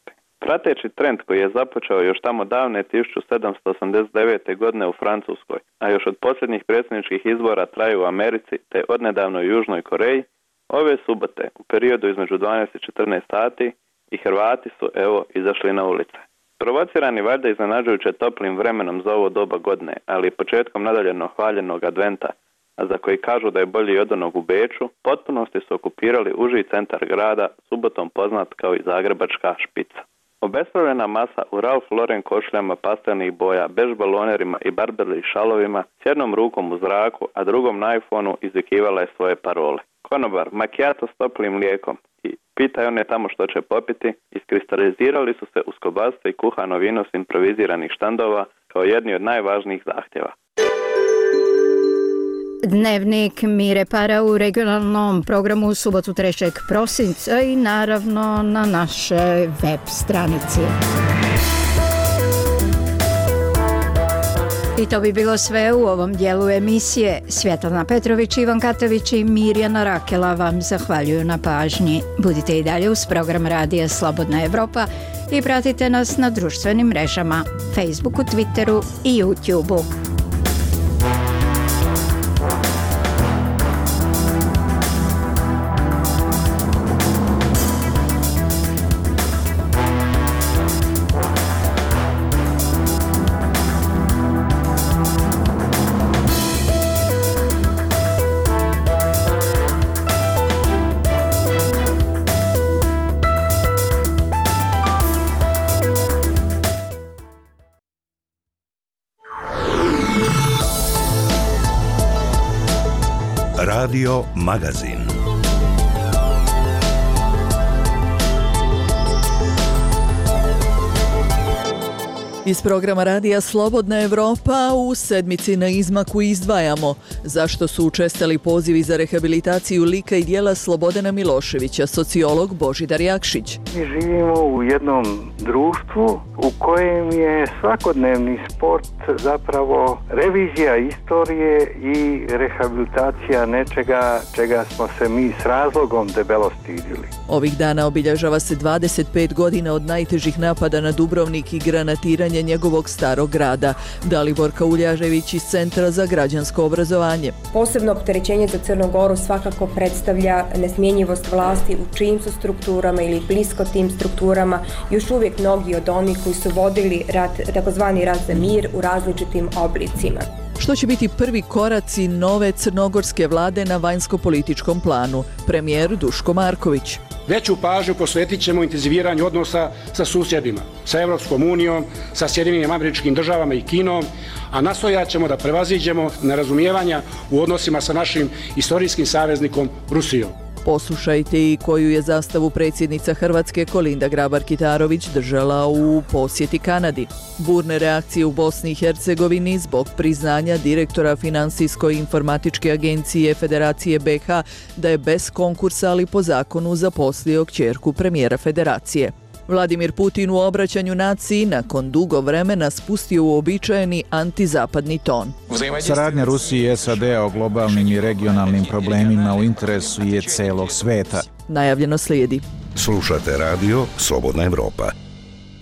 Prateći trend koji je započeo još tamo davne 1789. godine u Francuskoj, a još od posljednjih predsjedničkih izbora traju u Americi te odnedavno u Južnoj Koreji, ove subote u periodu između 12 i 14 sati i Hrvati su izašli na ulice. Provocirani valjda iznenađujuće toplim vremenom za ovo doba godine, ali i početkom nadaljeno hvaljenog adventa, a za koji kažu da je bolji od onog u Beču, potpunosti su okupirali uži centar grada, subotom poznat kao i Zagrebačka špica. Obespravljena masa u Ralph Lauren košuljama pastelnih boja, bež balonerima i Burberry šalovima, s jednom rukom u zraku, a drugom na iPhoneu izvikivala je svoje parole. Konobar, macchiato s toplim mlijekom i pitaj one tamo što će popiti, iskristalizirali su se uz kobasice i kuhano vino s improviziranih štandova kao jedni od najvažnijih zahtjeva. Dnevnik Mire Para u regionalnom programu u subotu 3. prosinca i naravno na našoj web stranici. I to bi bilo sve u ovom dijelu emisije. Svjetlana Petrović, Ivan Katović i Mirjana Rakela vam zahvaljuju na pažnji. Budite i dalje uz program Radija Slobodna Evropa i pratite nas na društvenim mrežama, Facebooku, Twitteru i YouTubeu. Radio Magazin. Iz programa radija Slobodna Evropa u sedmici na izmaku izdvajamo zašto su učestali pozivi za rehabilitaciju lika i djela Slobodana Miloševića, sociolog Božidar Jakšić. Mi živimo u jednom društvu u kojem je svakodnevni sport zapravo revizija istorije i rehabilitacija nečega čega smo se mi s razlogom debelo stidili. Ovih dana obilježava se 25 godina od najtežih napada na Dubrovnik i granatiranja njegovog starog grada. Dalibor Kauljažević iz Centra za građansko obrazovanje. Posebno opterećenje za Crnu Goru svakako predstavlja nesmjenjivost vlasti u čijim su strukturama ili blisko tim strukturama još uvijek mnogi od onih koji su vodili rat, takozvani rat za mir u različitim oblicima. Što će biti prvi koraci nove crnogorske vlade na vanjsko-političkom planu? Premijer Duško Marković. Veću pažnju posvetit ćemo intenziviranju odnosa sa susjedima, sa Europskom unijom, sa Sjedinjenim Američkim Državama i Kinom, a nastojat ćemo da prevaziđemo nerazumijevanja u odnosima sa našim istorijskim saveznikom Rusijom. Poslušajte i koju je zastavu predsjednica Hrvatske Kolinda Grabar-Kitarović držala u posjeti Kanadi. Burne reakcije u Bosni i Hercegovini zbog priznanja direktora Finansijsko-informatičke agencije Federacije BiH da je bez konkursa, ali po zakonu zaposlio kćerku premijera Federacije. Vladimir Putin u obraćanju naciji nakon dugo vremena spustio uobičajeni antizapadni ton. Saradnja Rusije i SAD-a o globalnim i regionalnim problemima u interesu je celog sveta. Najavljeno slijedi. Slušate radio Slobodna Evropa.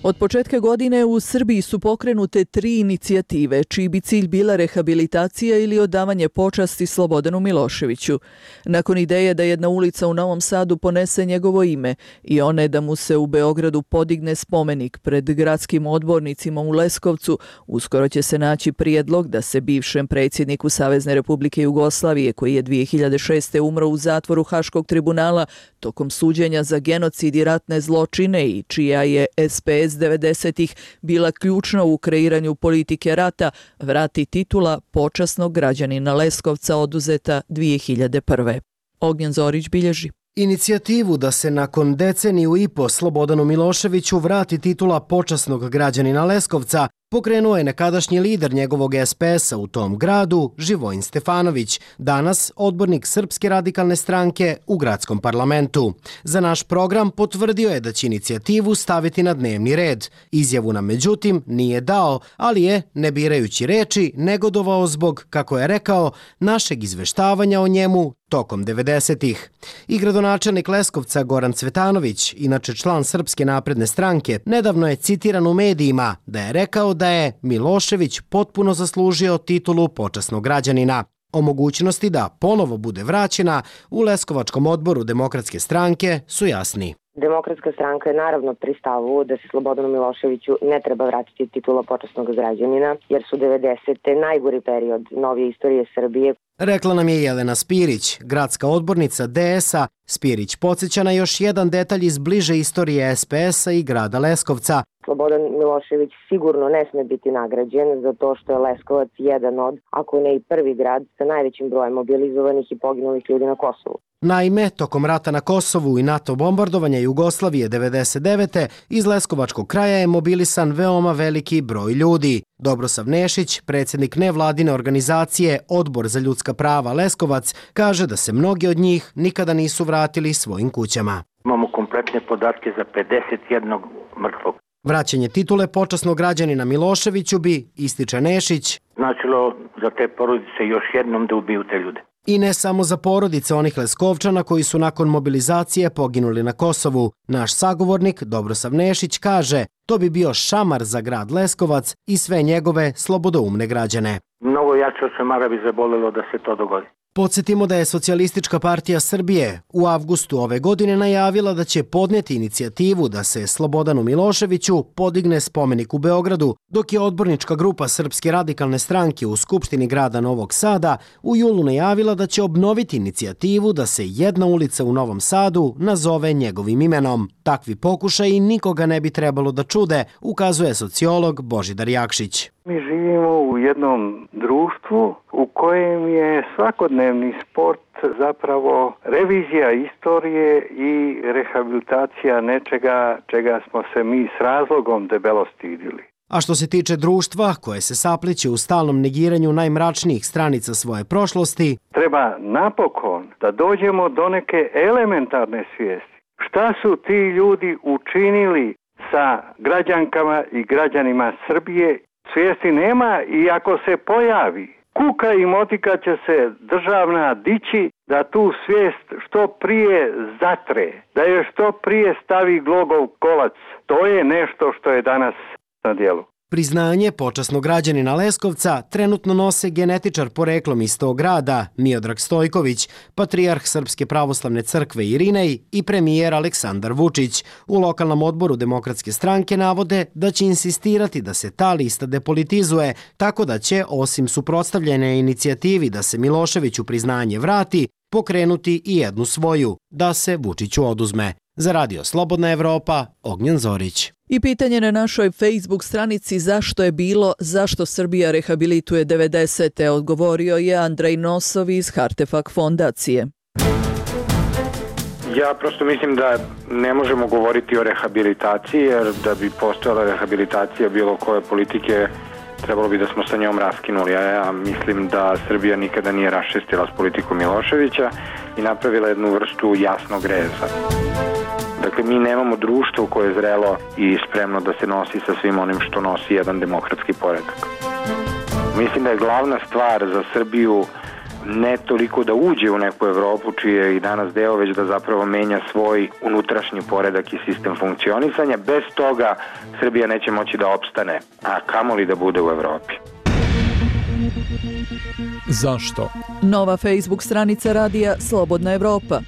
Od početka godine u Srbiji su pokrenute 3 inicijative, čiji bi cilj bila rehabilitacija ili odavanje počasti Slobodanu Miloševiću. Nakon ideje da jedna ulica u Novom Sadu ponese njegovo ime i one da mu se u Beogradu podigne spomenik pred gradskim odbornicima u Leskovcu, uskoro će se naći prijedlog da se bivšem predsjedniku Savezne Republike Jugoslavije, koji je 2006. umro u zatvoru Haškog tribunala tokom suđenja za genocid i ratne zločine i čija je SPS 90-ih bila ključna u kreiranju politike rata, vrati titula počasnog građanina Leskovca oduzeta 2001. Ognjen Zorić bilježi. Inicijativu da se nakon deceniju i po Slobodanu Miloševiću vrati titula počasnog građanina Leskovca pokrenuo je nekadašnji lider njegovog SPS-a u tom gradu, Živojin Stefanović, danas odbornik Srpske radikalne stranke u gradskom parlamentu. Za naš program potvrdio je da će inicijativu staviti na dnevni red. Izjavu nam međutim nije dao, ali je, ne birajući reči, negodovao zbog, kako je rekao, našeg izveštavanja o njemu tokom 90-ih. I gradonačelnik Leskovca Goran Cvetanović, inače član Srpske napredne stranke, nedavno je citiran u medijima da je rekao da je Milošević potpuno zaslužio titulu počasnog građanina. O mogućnosti da ponovo bude vraćena u Leskovačkom odboru Demokratske stranke su jasni. Demokratska stranka je naravno pri stavu da se Slobodanu Miloševiću ne treba vratiti titula počasnog građanina, jer su 90. najgori period novije istorije Srbije. Rekla nam je Jelena Spirić, gradska odbornica DS-a. Spirić podsjeća na još jedan detalj iz bliže istorije SPS-a i grada Leskovca. Slobodan Milošević sigurno ne sme biti nagrađen zato što je Leskovac jedan od, ako ne i prvi grad, sa najvećim brojem mobilizovanih i poginulih ljudi na Kosovu. Naime, tokom rata na Kosovu i NATO bombardovanja Jugoslavije 99. iz Leskovačkog kraja je mobilisan veoma veliki broj ljudi. Dobrosav Nešić, predsjednik nevladine organizacije Odbor za ljudska prava Leskovac, kaže da se mnogi od njih nikada nisu vratili svojim kućama. Imamo kompletne podatke za 51 mrtvog. Vraćanje titule počasnog građanina Miloševiću bi, ističe Nešić, značilo za te porodice još jednom da ubiju te ljude. I ne samo za porodice onih Leskovčana koji su nakon mobilizacije poginuli na Kosovu. Naš sagovornik Dobrosav Nešić kaže, to bi bio šamar za grad Leskovac i sve njegove slobodoumne građane. Mnogo jače od šamara bi zabolelo da se to dogodi. Podsjetimo da je Socijalistička partija Srbije u avgustu ove godine najavila da će podnijeti inicijativu da se Slobodanu Miloševiću podigne spomenik u Beogradu, dok je odbornička grupa Srpske radikalne stranke u Skupštini grada Novog Sada u julu najavila da će obnoviti inicijativu da se jedna ulica u Novom Sadu nazove njegovim imenom. Takvi pokušaji nikoga ne bi trebalo da čude, ukazuje sociolog Božidar Jakšić. Mi živimo u jednom društvu u kojem je svakodnevni sport zapravo revizija istorije i rehabilitacija nečega čega smo se mi s razlogom debelo stidili. A što se tiče društva koje se sapliće u stalnom negiranju najmračnijih stranica svoje prošlosti, treba napokon da dođemo do neke elementarne svijesti. Šta su ti ljudi učinili sa građankama i građanima Srbije? Svijesti nema i ako se pojavi, kuka i motika će se državna dići da tu svijest što prije zatre, da je što prije stavi glogov kolac. To je nešto što je danas na djelu. Priznanje počasnog građanina Leskovca trenutno nose genetičar poreklom iz tog grada Miodrag Stojković, patrijarh Srpske pravoslavne crkve Irinej i premijer Aleksandar Vučić. U lokalnom odboru Demokratske stranke navode da će insistirati da se ta lista depolitizuje, tako da će, osim suprotstavljene inicijativi da se Miloševiću priznanje vrati, pokrenuti i jednu svoju, da se Vučiću oduzme. Za Radio Slobodna Evropa, Ognjen Zorić. I pitanje na našoj Facebook stranici zašto je bilo, zašto Srbija rehabilituje 90. odgovorio je Andrej Nosov iz Hartefak fondacije. Ja prosto mislim da ne možemo govoriti o rehabilitaciji, jer da bi postojala rehabilitacija bilo koje politike, trebalo bi da smo sa njom raskinuli. Ja mislim da Srbija nikada nije raščistila s politikom Miloševića i napravila jednu vrstu jasnog reza. Dakle, mi nemamo društvo koje je zrelo i spremno da se nosi sa svim onim što nosi jedan demokratski poredak. Mislim da je glavna stvar za Srbiju ne toliko da uđe u neku Evropu, čiji je i danas deo, već da zapravo menja svoj unutrašnji poredak i sistem funkcionisanja. Bez toga Srbija neće moći da opstane, a kamoli da bude u Evropi. Zašto? Nova Facebook stranica radija Slobodna Evropa.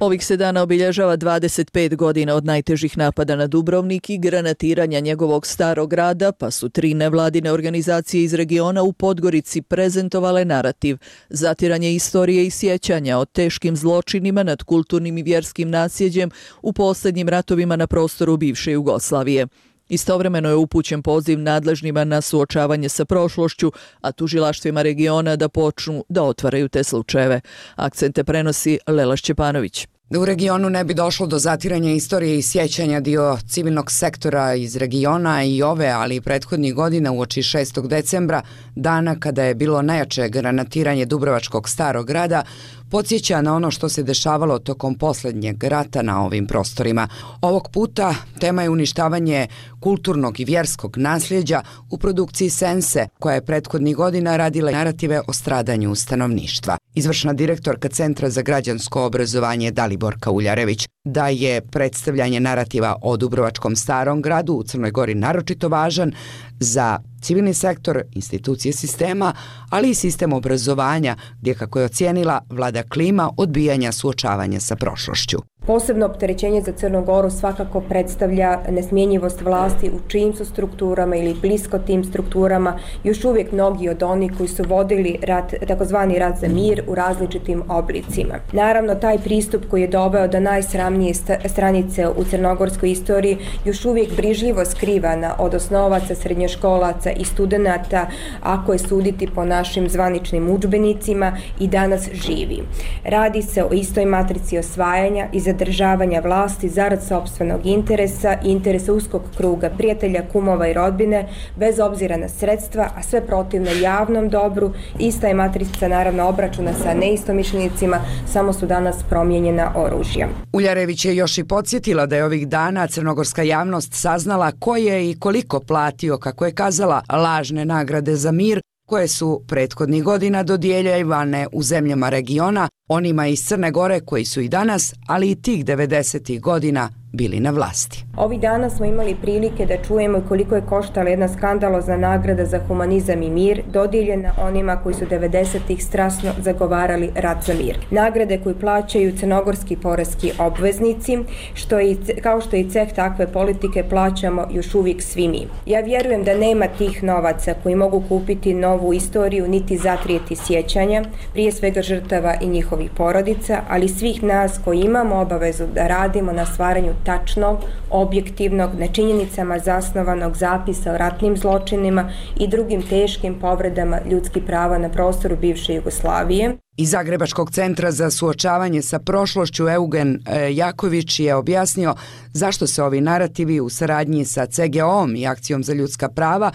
Ovih se dana obilježava 25 godina od najtežih napada na Dubrovnik i granatiranja njegovog starog grada, pa su 3 nevladine organizacije iz regiona u Podgorici prezentovale narativ zatiranje istorije i sjećanja o teškim zločinima nad kulturnim i vjerskim nasljeđem u posljednjim ratovima na prostoru bivše Jugoslavije. Istovremeno je upućen poziv nadležnima na suočavanje sa prošlošću, a tužilaštvima regiona da počnu da otvaraju te slučajeve. Akcente prenosi Lela Šćepanović. Da u regionu ne bi došlo do zatiranja istorije i sjećanja, dio civilnog sektora iz regiona i ove, ali i prethodnih godina uoči 6. decembra, dana kada je bilo najjače granatiranje Dubrovačkog starog grada, podsjeća na ono što se dešavalo tokom posljednjeg rata na ovim prostorima. Ovog puta tema je uništavanje kulturnog i vjerskog nasljeđa u produkciji Sense, koja je prethodnih godina radila narative o stradanju stanovništva. Izvršna direktorka Centra za građansko obrazovanje Daliborka Uljarević da je predstavljanje narativa o Dubrovačkom starom gradu u Crnoj Gori naročito važan za civilni sektor, institucije sistema, ali i sistem obrazovanja, gdje, kako je ocijenila, vlada klima odbijanja suočavanja sa prošlošću. Posebno opterećenje za Crnu Goru svakako predstavlja nesmjenjivost vlasti u čijim su strukturama ili blisko tim strukturama još uvijek mnogi od onih koji su vodili rat, takozvani rat za mir u različitim oblicima. Naravno, taj pristup koji je doveo do najsramnije stranice u crnogorskoj istoriji još uvijek brižljivo skrivana od osnovaca, srednjoškolaca i studenata, ako je suditi po našim zvaničnim udžbenicima, i danas živi. Radi se o istoj matrici osvajanja i zadržavanja vlasti zarad sopstvenog interesa i interesa uskog kruga prijatelja, kumova i rodbine, bez obzira na sredstva, a sve protivno javnom dobru. Ista je matrica naravno obračuna sa neistomišljenicima, samo su danas promijenjena oružja. Uljarević je još i podsjetila da je ovih dana crnogorska javnost saznala ko je i koliko platio, kako je kazala, lažne nagrade za mir koje su prethodnih godina dodjeljivane u zemljama regiona, onima iz Crne Gore koji su i danas, ali i tih 90. godina bili na vlasti. Ovih dana smo imali prilike da čujemo koliko je koštala jedna skandalozna nagrada za humanizam i mir, dodijeljena onima koji su 90-ih strasno zagovarali rat za mir. Nagrade koju plaćaju crnogorski poreski obveznici, kao što i ceh takve politike plaćamo još uvijek svi mi. Ja vjerujem da nema tih novaca koji mogu kupiti novu istoriju niti zatrijeti sjećanja, prije svega žrtava i njihovih porodica, ali svih nas koji imamo obavezu da radimo na stvaranju tačnog, objektivnog, na činjenicama zasnovanog zapisa o ratnim zločinima i drugim teškim povredama ljudskih prava na prostoru bivše Jugoslavije. Iz Zagrebačkog centra za suočavanje sa prošlošću Eugen Jaković je objasnio zašto se ovi narativi u saradnji sa CGO-om i Akcijom za ljudska prava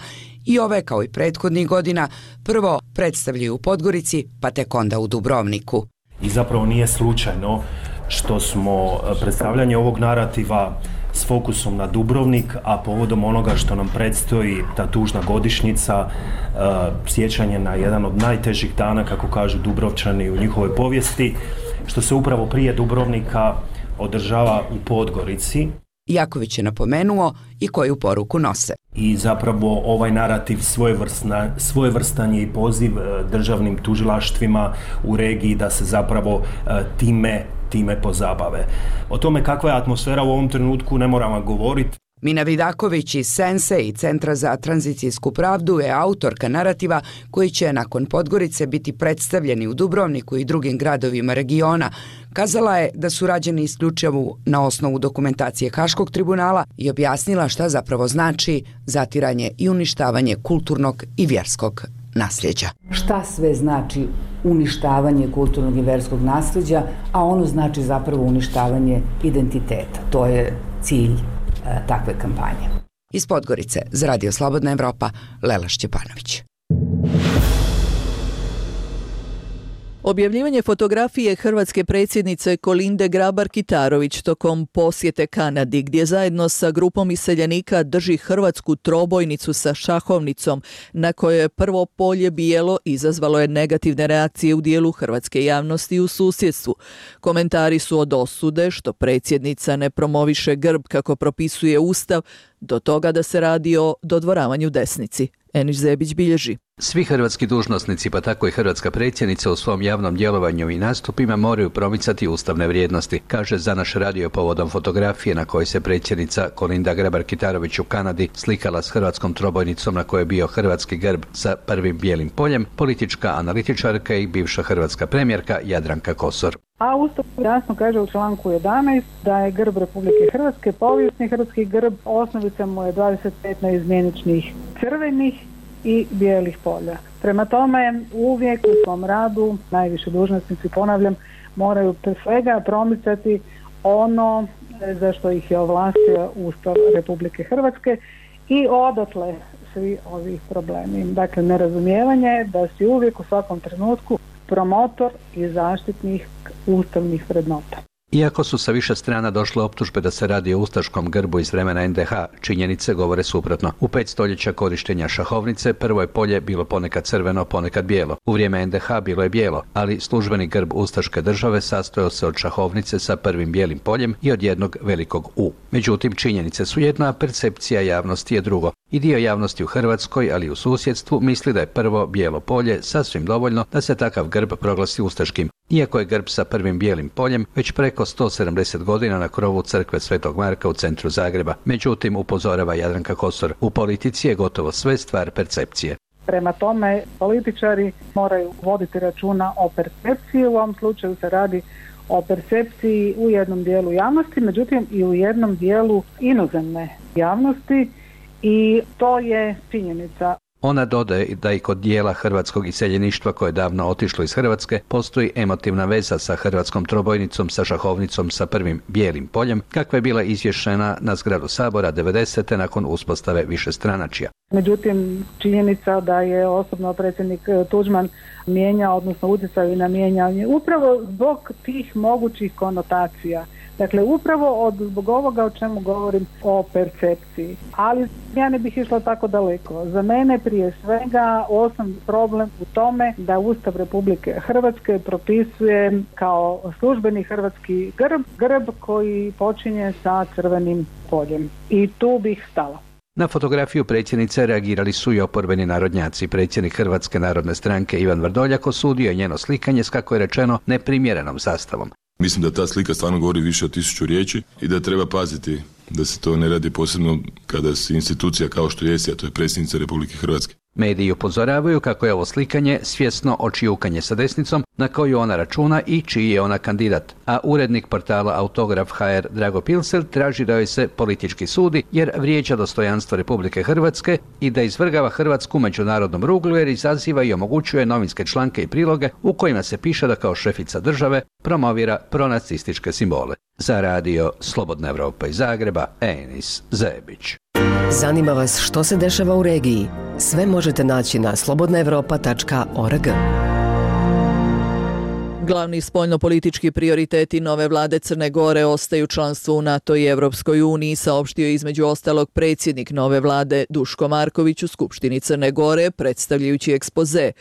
i ove kao i prethodnih godina prvo predstavljaju u Podgorici, pa tek onda u Dubrovniku. I zapravo nije slučajno što smo predstavljanje ovog narativa s fokusom na Dubrovnik, a povodom onoga što nam predstoji ta tužna godišnjica, sjećanje na jedan od najtežih dana, kako kažu Dubrovčani u njihovoj povijesti, što se upravo prije Dubrovnika održava u Podgorici. Jaković je napomenuo i koju poruku nose. I zapravo ovaj narativ svojevrstan je i poziv državnim tužilaštvima u regiji da se zapravo time pozabave. O tome kakva je atmosfera u ovom trenutku ne moram vam govoriti. Mina Vidaković iz Sense i Centra za tranzicijsku pravdu je autorka narativa koji će nakon Podgorice biti predstavljeni u Dubrovniku i drugim gradovima regiona. Kazala je da su rađeni isključivo na osnovu dokumentacije Haškog tribunala i objasnila šta zapravo znači zatiranje i uništavanje kulturnog i vjerskog nasljeđa. Šta sve znači uništavanje kulturnog i vjerskog nasljeđa, a ono znači zapravo uništavanje identiteta. To je cilj takve kampanje. Iz Podgorice za Radio Slobodna Evropa, Lela Šćepanović. Objavljivanje fotografije hrvatske predsjednice Kolinde Grabar-Kitarović tokom posjete Kanadi, gdje zajedno sa grupom iseljenika drži hrvatsku trobojnicu sa šahovnicom, na kojoj je prvo polje bijelo, izazvalo je negativne reakcije u dijelu hrvatske javnosti u susjedstvu. Komentari su od osude što predsjednica ne promoviše grb kako propisuje Ustav, do toga da se radi o dodvoravanju desnici. Eniš Zebić bilježi. Svi hrvatski dužnosnici, pa tako i hrvatska predsjednica u svom javnom djelovanju i nastupima moraju promicati ustavne vrijednosti, kaže za naš radio povodom fotografije na kojoj se predsjednica Kolinda Grabar-Kitarović u Kanadi slikala s hrvatskom trobojnicom na kojoj je bio hrvatski grb sa prvim bijelim poljem, politička analitičarka i bivša hrvatska premijerka Jadranka Kosor. A Ustav jasno kaže u članku 11 da je grb Republike Hrvatske povijesni hrvatski grb, osnovica mu je 25 neizmjeničnih crvenih i bijelih polja. Prema tome, uvijek u svom radu najviši dužnosnici, ponavljam, moraju pre svega promicati ono za što ih je ovlastio Ustav Republike Hrvatske i odatle svi ovi problemi. Dakle, nerazumijevanje da si uvijek u svakom trenutku promotor i zaštitnih ustavnih vrednota. Iako su sa više strana došle optužbe da se radi o ustaškom grbu iz vremena NDH, činjenice govore suprotno. U 5 stoljeća korištenja šahovnice prvo je polje bilo ponekad crveno, ponekad bijelo. U vrijeme NDH bilo je bijelo, ali službeni grb ustaške države sastojao se od šahovnice sa prvim bijelim poljem i od jednog velikog U. Međutim, činjenice su jedno, a percepcija javnosti je drugo. I dio javnosti u Hrvatskoj, ali i u susjedstvu, misli da je prvo bijelo polje sasvim dovoljno da se takav grb proglasi ustaškim. Iako je grb sa prvim bijelim poljem već preko 170 godina na krovu crkve Svetog Marka u centru Zagreba. Međutim, upozorava Jadranka Kosor, u politici je gotovo sve stvar percepcije. Prema tome, političari moraju voditi računa o percepciji, u ovom slučaju se radi o percepciji u jednom dijelu javnosti, međutim i u jednom dijelu inozemne javnosti i to je činjenica. Ona dodaje da i kod dijela hrvatskog iseljeništva koje je davno otišlo iz Hrvatske postoji emotivna veza sa hrvatskom trobojnicom, sa šahovnicom sa prvim bijelim poljem, kakva je bila izvješena na zgradu Sabora 90. nakon uspostave višestranačja. Međutim, činjenica da je osobno predsjednik Tuđman mijenjao, odnosno utjecao i na mijenjanje, upravo zbog tih mogućih konotacija Dakle, upravo zbog ovoga o čemu govorim, o percepciji. Ali ja ne bih išla tako daleko. Za mene prije svega osnovni problem u tome da Ustav Republike Hrvatske propisuje kao službeni hrvatski grb koji počinje sa crvenim poljem. I tu bih stala. Na fotografiju predsjednice reagirali su i oporbeni narodnjaci. Predsjednik Hrvatske narodne stranke Ivan Vrdoljak osudio je njeno slikanje s, kako je rečeno, neprimjerenom zastavom. Mislim da ta slika stvarno govori više od 1000 riječi i da treba paziti da se to ne radi posebno kada se institucija kao što jest, a to je predsjednica Republike Hrvatske. Mediji upozoravaju kako je ovo slikanje svjesno očijukanje sa desnicom na koju ona računa i čiji je ona kandidat. A urednik portala Autograf.hr Drago Pilsel traži da joj se politički sudi jer vrijeđa dostojanstvo Republike Hrvatske i da izvrgava Hrvatsku međunarodnom ruglu jer izaziva i omogućuje novinske članke i priloge u kojima se piše da kao šefica države promovira pronacističke simbole. Za radio Slobodna Evropa iz Zagreba, Enis Zebić. Zanima vas što se dešava u regiji? Sve možete naći na slobodnaevropa.org. Glavni spoljnopolitički prioriteti nove vlade Crne Gore ostaju članstvo u NATO i Evropskoj uniji, saopštio je između ostalog predsjednik nove vlade Duško Marković u Skupštini Crne Gore, predstavljajući ekspoze.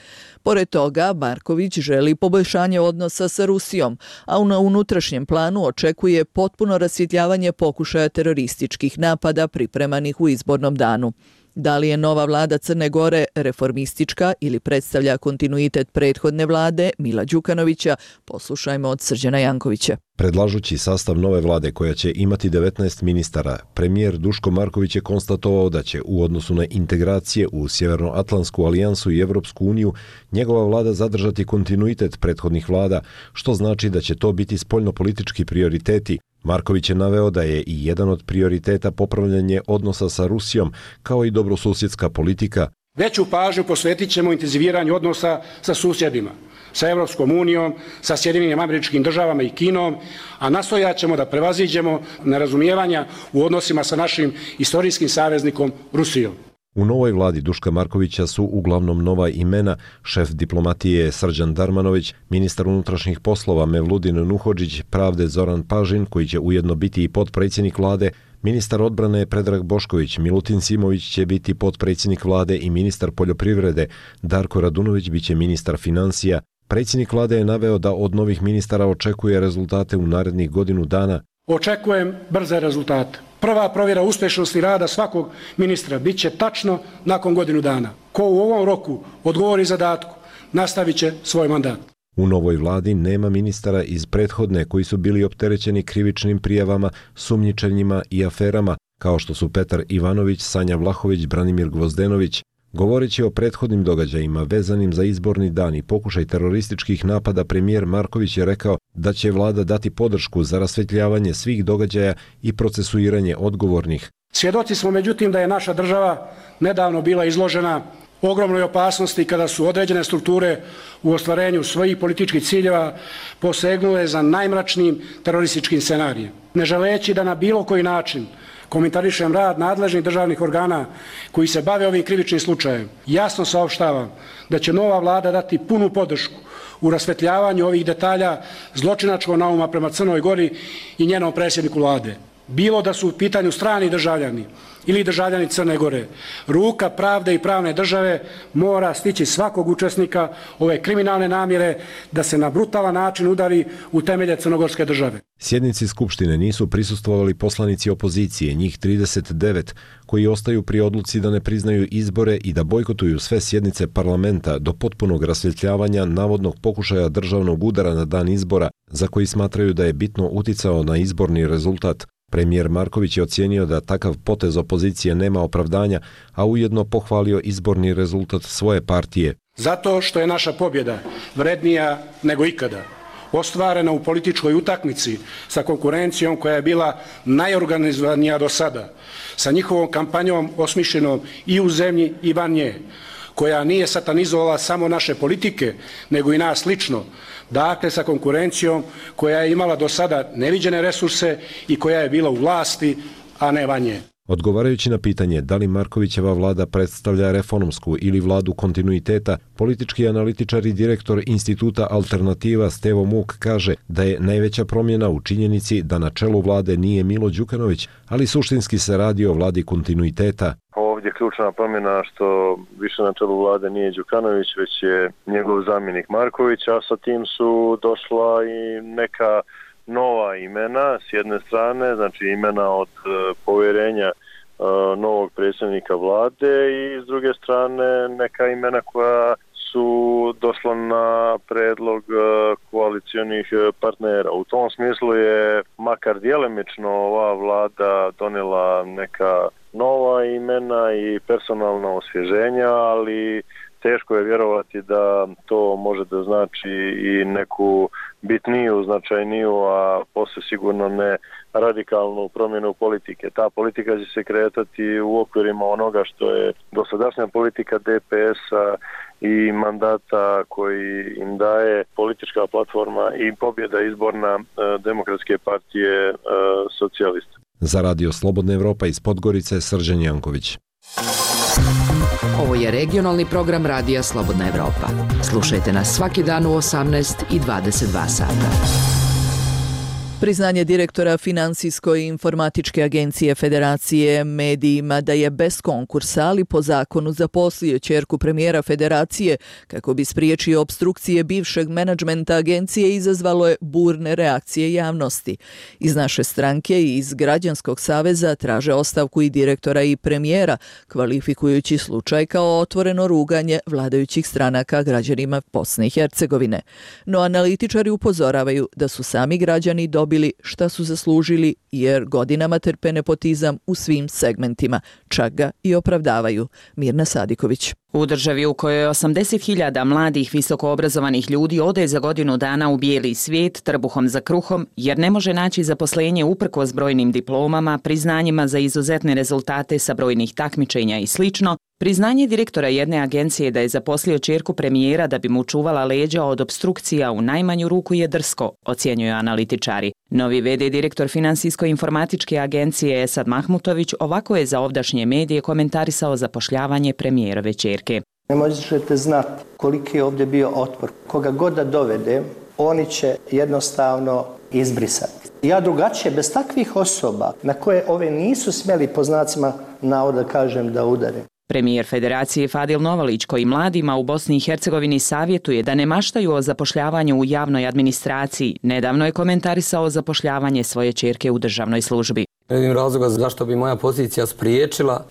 Pored toga, Marković želi poboljšanje odnosa sa Rusijom, a na unutrašnjem planu očekuje potpuno rasvjetljavanje pokušaja terorističkih napada pripremanih u izbornom danu. Da li je nova vlada Crne Gore reformistička ili predstavlja kontinuitet prethodne vlade Mila Đukanovića, poslušajmo od Srđana Jankovića. Predlažući sastav nove vlade koja će imati 19 ministara, premijer Duško Marković je konstatovao da će u odnosu na integracije u Sjevernoatlantsku alijansu i Evropsku uniju njegova vlada zadržati kontinuitet prethodnih vlada, što znači da će to biti spoljnopolitički prioriteti. Marković je naveo da je i jedan od prioriteta popravljanje odnosa sa Rusijom, kao i dobrosusjedska politika. Veću pažnju posvetit ćemo intenziviranju odnosa sa susjedima, sa Evropskom unijom, sa Sjedinjenim Američkim Državama i Kinom, a nastojat ćemo da prevaziđemo nerazumijevanja u odnosima sa našim istorijskim saveznikom Rusijom. U novoj vladi Duška Markovića su uglavnom nova imena, šef diplomatije Srđan Darmanović, ministar unutrašnjih poslova Mevludin Nuhodžić, pravde Zoran Pažin, koji će ujedno biti i potpredsjednik vlade, ministar odbrane Predrag Bošković, Milutin Simović će biti potpredsjednik vlade i ministar poljoprivrede, Darko Radunović biće ministar financija. Predsjednik vlade je naveo da od novih ministara očekuje rezultate u narednih godinu dana. Očekujem brze rezultate. Prva provjera uspješnosti rada svakog ministra bit će tačno nakon godinu dana. Ko u ovom roku odgovori zadatku, nastavit će svoj mandat. U novoj vladi nema ministara iz prethodne koji su bili opterećeni krivičnim prijavama, sumnjičenjima i aferama, kao što su Petar Ivanović, Sanja Vlahović, Branimir Gvozdenović. Govoreći o prethodnim događajima vezanim za izborni dan i pokušaj terorističkih napada, premijer Marković je rekao da će vlada dati podršku za rasvjetljavanje svih događaja i procesuiranje odgovornih. Svjedoci smo međutim da je naša država nedavno bila izložena ogromnoj opasnosti kada su određene strukture u ostvarenju svojih političkih ciljeva posegnule za najmračnijim terorističkim scenarijem. Ne želeći da na bilo koji način komentarišem rad nadležnih državnih organa koji se bave ovim krivičnim slučajem, jasno saopštavam da će nova vlada dati punu podršku u rasvetljavanju ovih detalja zločinačkog nauma prema Crnoj Gori i njenom predsjedniku vlade. Bilo da su u pitanju strani državljani ili državljani Crne Gore, ruka pravde i pravne države mora stići svakog učesnika ove kriminalne namjere da se na brutalan način udari u temelje crnogorske države. Sjednici Skupštine nisu prisustvovali poslanici opozicije, njih 39, koji ostaju pri odluci da ne priznaju izbore i da bojkotuju sve sjednice parlamenta do potpunog rasvjetljavanja navodnog pokušaja državnog udara na dan izbora, za koji smatraju da je bitno uticao na izborni rezultat. Premijer Marković je ocijenio da takav potez opozicije nema opravdanja, a ujedno pohvalio izborni rezultat svoje partije. Zato što je naša pobjeda vrednija nego ikada, ostvarena u političkoj utakmici sa konkurencijom koja je bila najorganizovanija do sada, sa njihovom kampanjom osmišljenom i u zemlji i van nje, koja nije satanizovala samo naše politike, nego i nas lično, dakle sa konkurencijom koja je imala do sada neviđene resurse i koja je bila u vlasti, a ne van nje. Odgovarajući na pitanje da li Markovićeva vlada predstavlja reformsku ili vladu kontinuiteta, politički analitičar i direktor Instituta Alternativa Stevo Muk kaže da je najveća promjena u činjenici da na čelu vlade nije Milo Đukanović, ali suštinski se radi o vladi kontinuiteta. Ovdje ključna promjena što više na čelu vlade nije Đukanović, već je njegov zamjenik Marković, a sa tim su došla i neka nova imena s jedne strane, znači imena od povjerenja novog predsjednika vlade i s druge strane neka imena koja su došla na predlog koalicijonih partnera. U tom smislu je makar djelimično ova vlada donijela neka nova imena i personalna osvježenja, ali teško je vjerovati da to može da znači i neku bitniju, značajniju, a posve sigurno ne radikalnu promjenu politike. Ta politika će se kretati u okvirima onoga što je dosadašnja politika DPS-a i mandata koji im daje politička platforma i pobjeda izborna Demokratske partije socijalista. Za Radio Slobodna Evropa iz Podgorice, Srđan Janković. Ovo je regionalni program Radija Slobodna Evropa. Slušajte nas svaki dan u 18 i 22 sata. Priznanje direktora Finansijsko-informatičke agencije Federacije medijima da je bez konkursa, ali po zakonu zaposlio ćerku premijera Federacije kako bi spriječio opstrukcije bivšeg menadžmenta agencije, izazvalo je burne reakcije javnosti. Iz naše stranke i iz Građanskog saveza traže ostavku i direktora i premijera, kvalifikujući slučaj kao otvoreno ruganje vladajućih stranaka građanima Bosne i Hercegovine. No analitičari upozoravaju da su sami građani dobili šta su zaslužili jer godinama trpe nepotizam u svim segmentima, čak ga i opravdavaju. Mirna Sadiković. U državi u kojoj 80.000 mladih visokoobrazovanih ljudi ode za godinu dana u bijeli svijet trbuhom za kruhom jer ne može naći zaposlenje uprkos brojnim diplomama, priznanjima za izuzetne rezultate sa brojnih takmičenja i slično, priznanje direktora jedne agencije da je zaposlio ćerku premijera da bi mu čuvala leđa od opstrukcija u najmanju ruku je drsko, ocjenjuju analitičari. Novi v.d. direktor Finansijsko-informatičke agencije Esad Mahmutović ovako je za ovdašnje medije komentarisao zapošljavanje premijerove ćerke. Ne možete znati koliki je ovdje bio otpor. Koga god da dovede, oni će jednostavno izbrisati. Ja drugačije, bez takvih osoba na koje ove nisu smjeli po znacima navoda kažem da udare. Premijer Federacije Fadil Novalić, koji mladima u Bosni i Hercegovini savjetuje da ne maštaju o zapošljavanju u javnoj administraciji, nedavno je komentarisao zapošljavanje svoje ćerke u državnoj službi. Ne vidim razloga zašto bi moja pozicija spriječila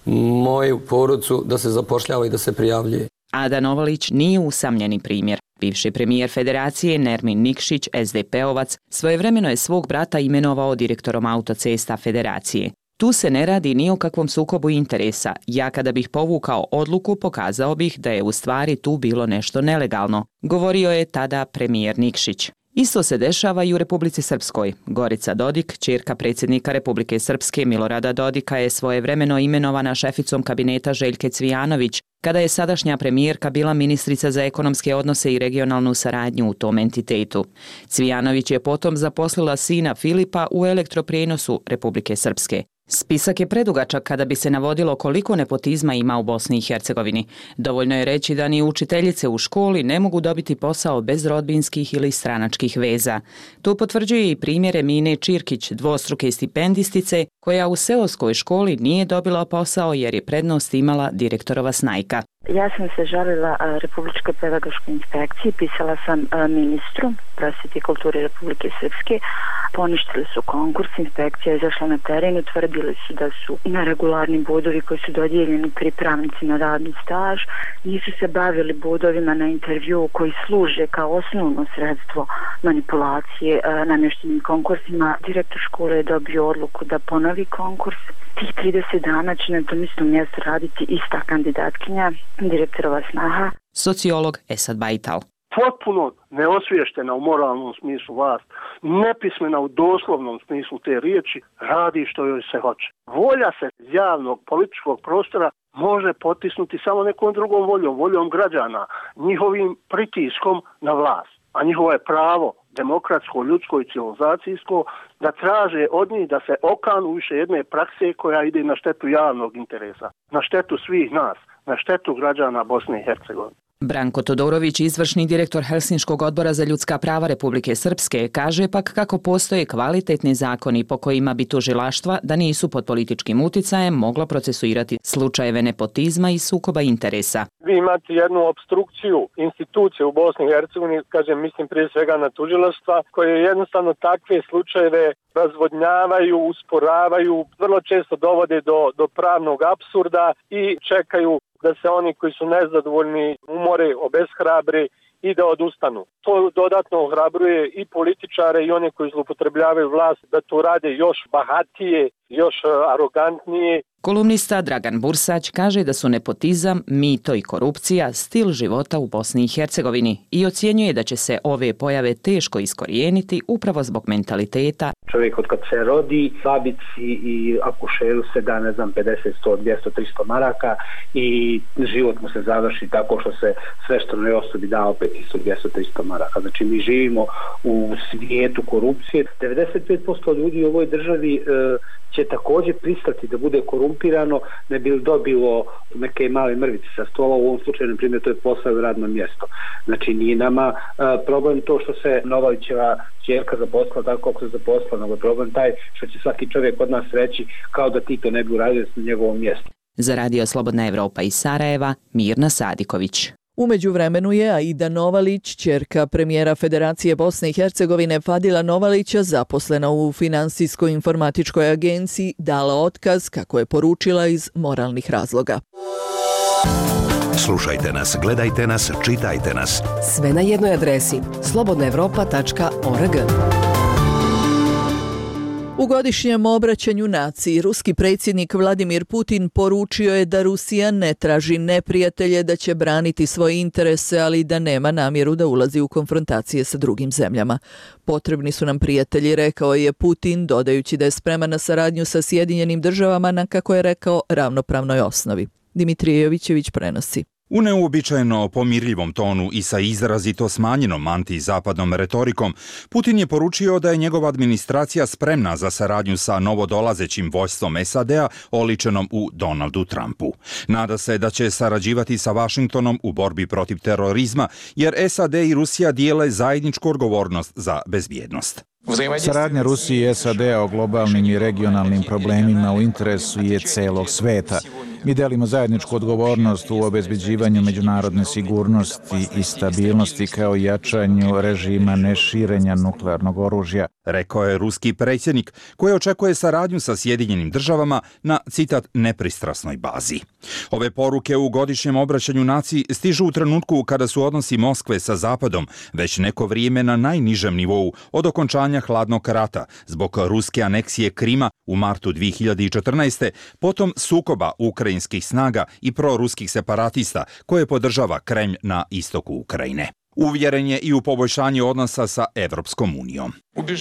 moju porodicu da se zapošljava i da se prijavljuje. Ada Novalić nije usamljeni primjer. Bivši premijer Federacije Nermin Nikšić, SDP-ovac, svojevremeno je svog brata imenovao direktorom autocesta Federacije. Tu se ne radi ni o kakvom sukobu interesa. Ja kada bih povukao odluku, pokazao bih da je u stvari tu bilo nešto nelegalno, govorio je tada premijer Nikšić. Isto se dešava i u Republici Srpskoj. Gorica Dodik, ćerka predsjednika Republike Srpske Milorada Dodika, je svojevremeno imenovana šeficom kabineta Željke Cvijanović, kada je sadašnja premijerka bila ministrica za ekonomske odnose i regionalnu saradnju u tom entitetu. Cvijanović je potom zaposlila sina Filipa u elektroprijenosu Republike Srpske. Spisak je predugačak kada bi se navodilo koliko nepotizma ima u Bosni i Hercegovini. Dovoljno je reći da ni učiteljice u školi ne mogu dobiti posao bez rodbinskih ili stranačkih veza. To potvrđuje i primjer Emine Čirkić, dvostruke stipendistice, koja u seoskoj školi nije dobila posao jer je prednost imala direktorova snajka. Ja sam se žalila Republičkoj pedagoškoj inspekciji, pisala sam ministru prosvjete i kulture Republike Srpske, poništili su konkurs, inspekcija je izašla na teren, utvrdili su da su neregularni bodovi koji su dodijeljeni pripravnici na radni staž, nisu se bavili bodovima na intervju koji služe kao osnovno sredstvo manipulacije namještenim konkursima. Direktor škole je dobio odluku da ponovi konkurs. Tih 30 dana će na tom istom mjestu raditi ista kandidatkinja, direktorova snaha. Sociolog Esad Bajtal. Potpuno neosvještena u moralnom smislu vlast, nepismena u doslovnom smislu te riječi, radi što joj se hoće. Volja se iz javnog političkog prostora može potisnuti samo nekom drugom voljom, voljom građana, njihovim pritiskom na vlast. A njihovo je pravo demokratsko, ljudsko i civilizacijsko, da traže od njih da se okanu više jedne prakse koja ide na štetu javnog interesa, na štetu svih nas, na štetu građana Bosne i Hercegovine. Branko Todorović, izvršni direktor Helsinškog odbora za ljudska prava Republike Srpske, kaže pak kako postoje kvalitetni zakoni po kojima bi tužilaštva, da nisu pod političkim uticajem, mogla procesuirati slučajeve nepotizma i sukoba interesa. Vi imate jednu obstrukciju institucije u Bosni i Hercegovini, kažem, mislim prije svega na tužilaštva, koje jednostavno takve slučajeve razvodnjavaju, usporavaju, vrlo često dovode do pravnog apsurda i čekaju da se oni koji su nezadovoljni umore, obeshrabre i da odustanu. To dodatno ohrabruje i političare i one koji zloupotrebljavaju vlast da to rade još bahatije, još arogantnije. Kolumnista Dragan Bursać kaže da su nepotizam, mito i korupcija stil života u Bosni i Hercegovini i ocjenjuje da će se ove pojave teško iskorijeniti upravo zbog mentaliteta. Čovjek od kad se rodi, babici i akušeru se da, 50, 100, 200, 300 maraka i život mu se završi tako što se sveštenoj osobi da opet 100, 200, 300 maraka. Znači mi živimo u svijetu korupcije. 95% ljudi u ovoj državi će također pristati da bude korumpirano, ne bi dobilo neke male mrvice sa stola, u ovom slučaju, na primjer, to je posao i radno mjesto. Znači nije nama problem to što se Novavićeva ćerka zaposlila tako kako se zaposlila, nego je problem taj što će svaki čovjek od nas reći kao da ti to ne bi uradio na njegovom mjestu. Za Radio Slobodna Evropa iz Sarajeva, Mirna Sadiković. U međuvremenu je Aida Novalić, ćerka premijera Federacije Bosne i Hercegovine Fadila Novalića, zaposlena u Finansijsko-informatičkoj agenciji, dala otkaz, kako je poručila, iz moralnih razloga. Slušajte nas, gledajte nas, čitajte nas. Sve na jednoj adresi slobodnaevropa.org. U godišnjem obraćanju naciji, ruski predsjednik Vladimir Putin poručio je da Rusija ne traži neprijatelje, da će braniti svoje interese, ali da nema namjeru da ulazi u konfrontacije sa drugim zemljama. Potrebni su nam prijatelji, rekao je Putin, dodajući da je spreman na saradnju sa Sjedinjenim državama na, kako je rekao, ravnopravnoj osnovi. Dimitrije Jovićević prenosi. U neuobičajeno pomirljivom tonu i sa izrazito smanjenom antizapadnom retorikom, Putin je poručio da je njegova administracija spremna za saradnju sa novodolazećim vojstvom SAD-a oličenom u Donaldu Trumpu. Nada se da će sarađivati sa Vašingtonom u borbi protiv terorizma, jer SAD i Rusija dijele zajedničku odgovornost za bezbjednost. Saradnja Rusije i SAD-a o globalnim i regionalnim problemima u interesu je celog sveta. Mi delimo zajedničku odgovornost u obezbeđivanju međunarodne sigurnosti i stabilnosti kao i jačanju režima neširenja nuklearnog oružja, rekao je ruski predsjednik, koji očekuje saradnju sa Sjedinjenim državama na, citat, nepristrasnoj bazi. Ove poruke u godišnjem obraćanju naciji stižu u trenutku kada su odnosi Moskve sa Zapadom već neko vrijeme na najnižem nivou od okončanja hladnog rata zbog ruske aneksije Krima u martu 2014. potom sukoba ukrajinskih snaga i proruskih separatista koje podržava Kremlj na istoku Ukrajine. Uvjeren je i u poboljšanje odnosa sa Evropskom unijom.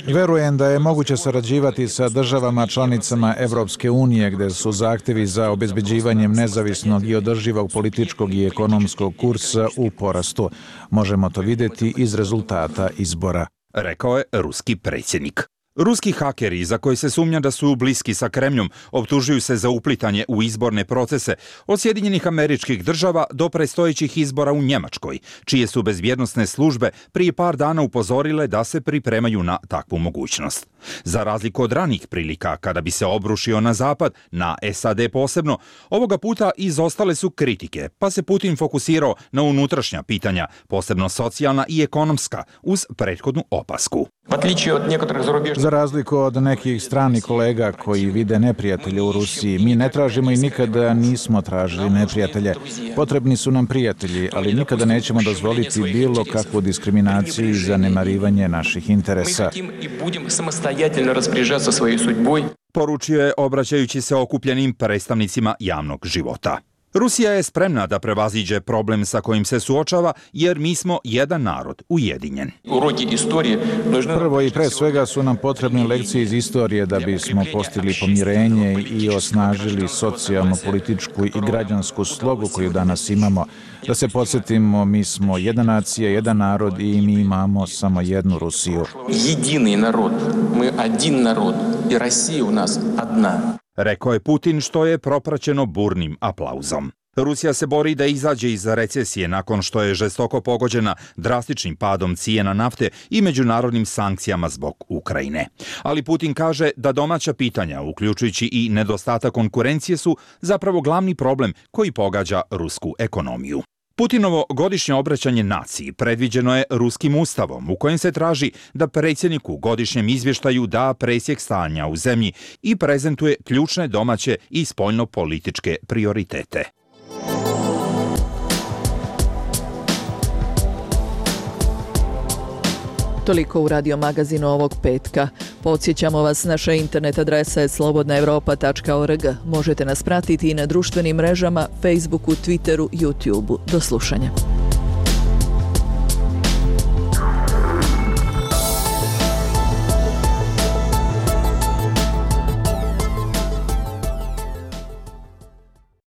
Verujem da je moguće sarađivati sa državama članicama Evropske unije gdje su zahtjevi za obezbeđivanjem nezavisnog i održivog političkog i ekonomskog kursa u porastu. Možemo to vidjeti iz rezultata izbora, rekao je ruski predsjednik. Ruski hakeri, za koje se sumnja da su bliski sa Kremljom, optužuju se za uplitanje u izborne procese od Sjedinjenih Američkih Država do predstojećih izbora u Njemačkoj, čije su bezbjednosne službe prije par dana upozorile da se pripremaju na takvu mogućnost. Za razliku od ranih prilika kada bi se obrušio na Zapad, na SAD posebno, ovoga puta izostale su kritike, pa se Putin fokusirao na unutrašnja pitanja, posebno socijalna i ekonomska, uz prethodnu opasku. Za razliku od nekih stranih kolega koji vide neprijatelje u Rusiji, mi ne tražimo i nikada nismo tražili neprijatelje. Potrebni su nam prijatelji, ali nikada nećemo dozvoliti bilo kakvu diskriminaciju i zanemarivanje naših interesa, poručio je obraćajući se okupljenim predstavnicima javnog života. Rusija je spremna da prevaziđe problem sa kojim se suočava, jer mi smo jedan narod, ujedinjen. Prvo i pre svega su nam potrebne lekcije iz istorije da bismo postigli pomirenje i osnažili socijalno, političku i građansku slogu koju danas imamo. Da se podsjetimo, mi smo jedna nacija, jedan narod i mi imamo samo jednu Rusiju. Jedini narod, mi один narod i Rusija u nas jedna. Rekao je Putin, što je propraćeno burnim aplauzom. Rusija se bori da izađe iz recesije nakon što je žestoko pogođena drastičnim padom cijena nafte i međunarodnim sankcijama zbog Ukrajine. Ali Putin kaže da domaća pitanja, uključujući i nedostatak konkurencije, su zapravo glavni problem koji pogađa rusku ekonomiju. Putinovo godišnje obraćanje naciji predviđeno je ruskim ustavom u kojem se traži da predsjednik u godišnjem izvještaju da presjek stanja u zemlji i prezentuje ključne domaće i spoljnopolitičke prioritete. Toliko u Radio magazinu ovog petka. Podsjećamo vas, naša internet adresa je slobodnaevropa.org. Možete nas pratiti i na društvenim mrežama, Facebooku, Twitteru, YouTubeu. Do slušanja.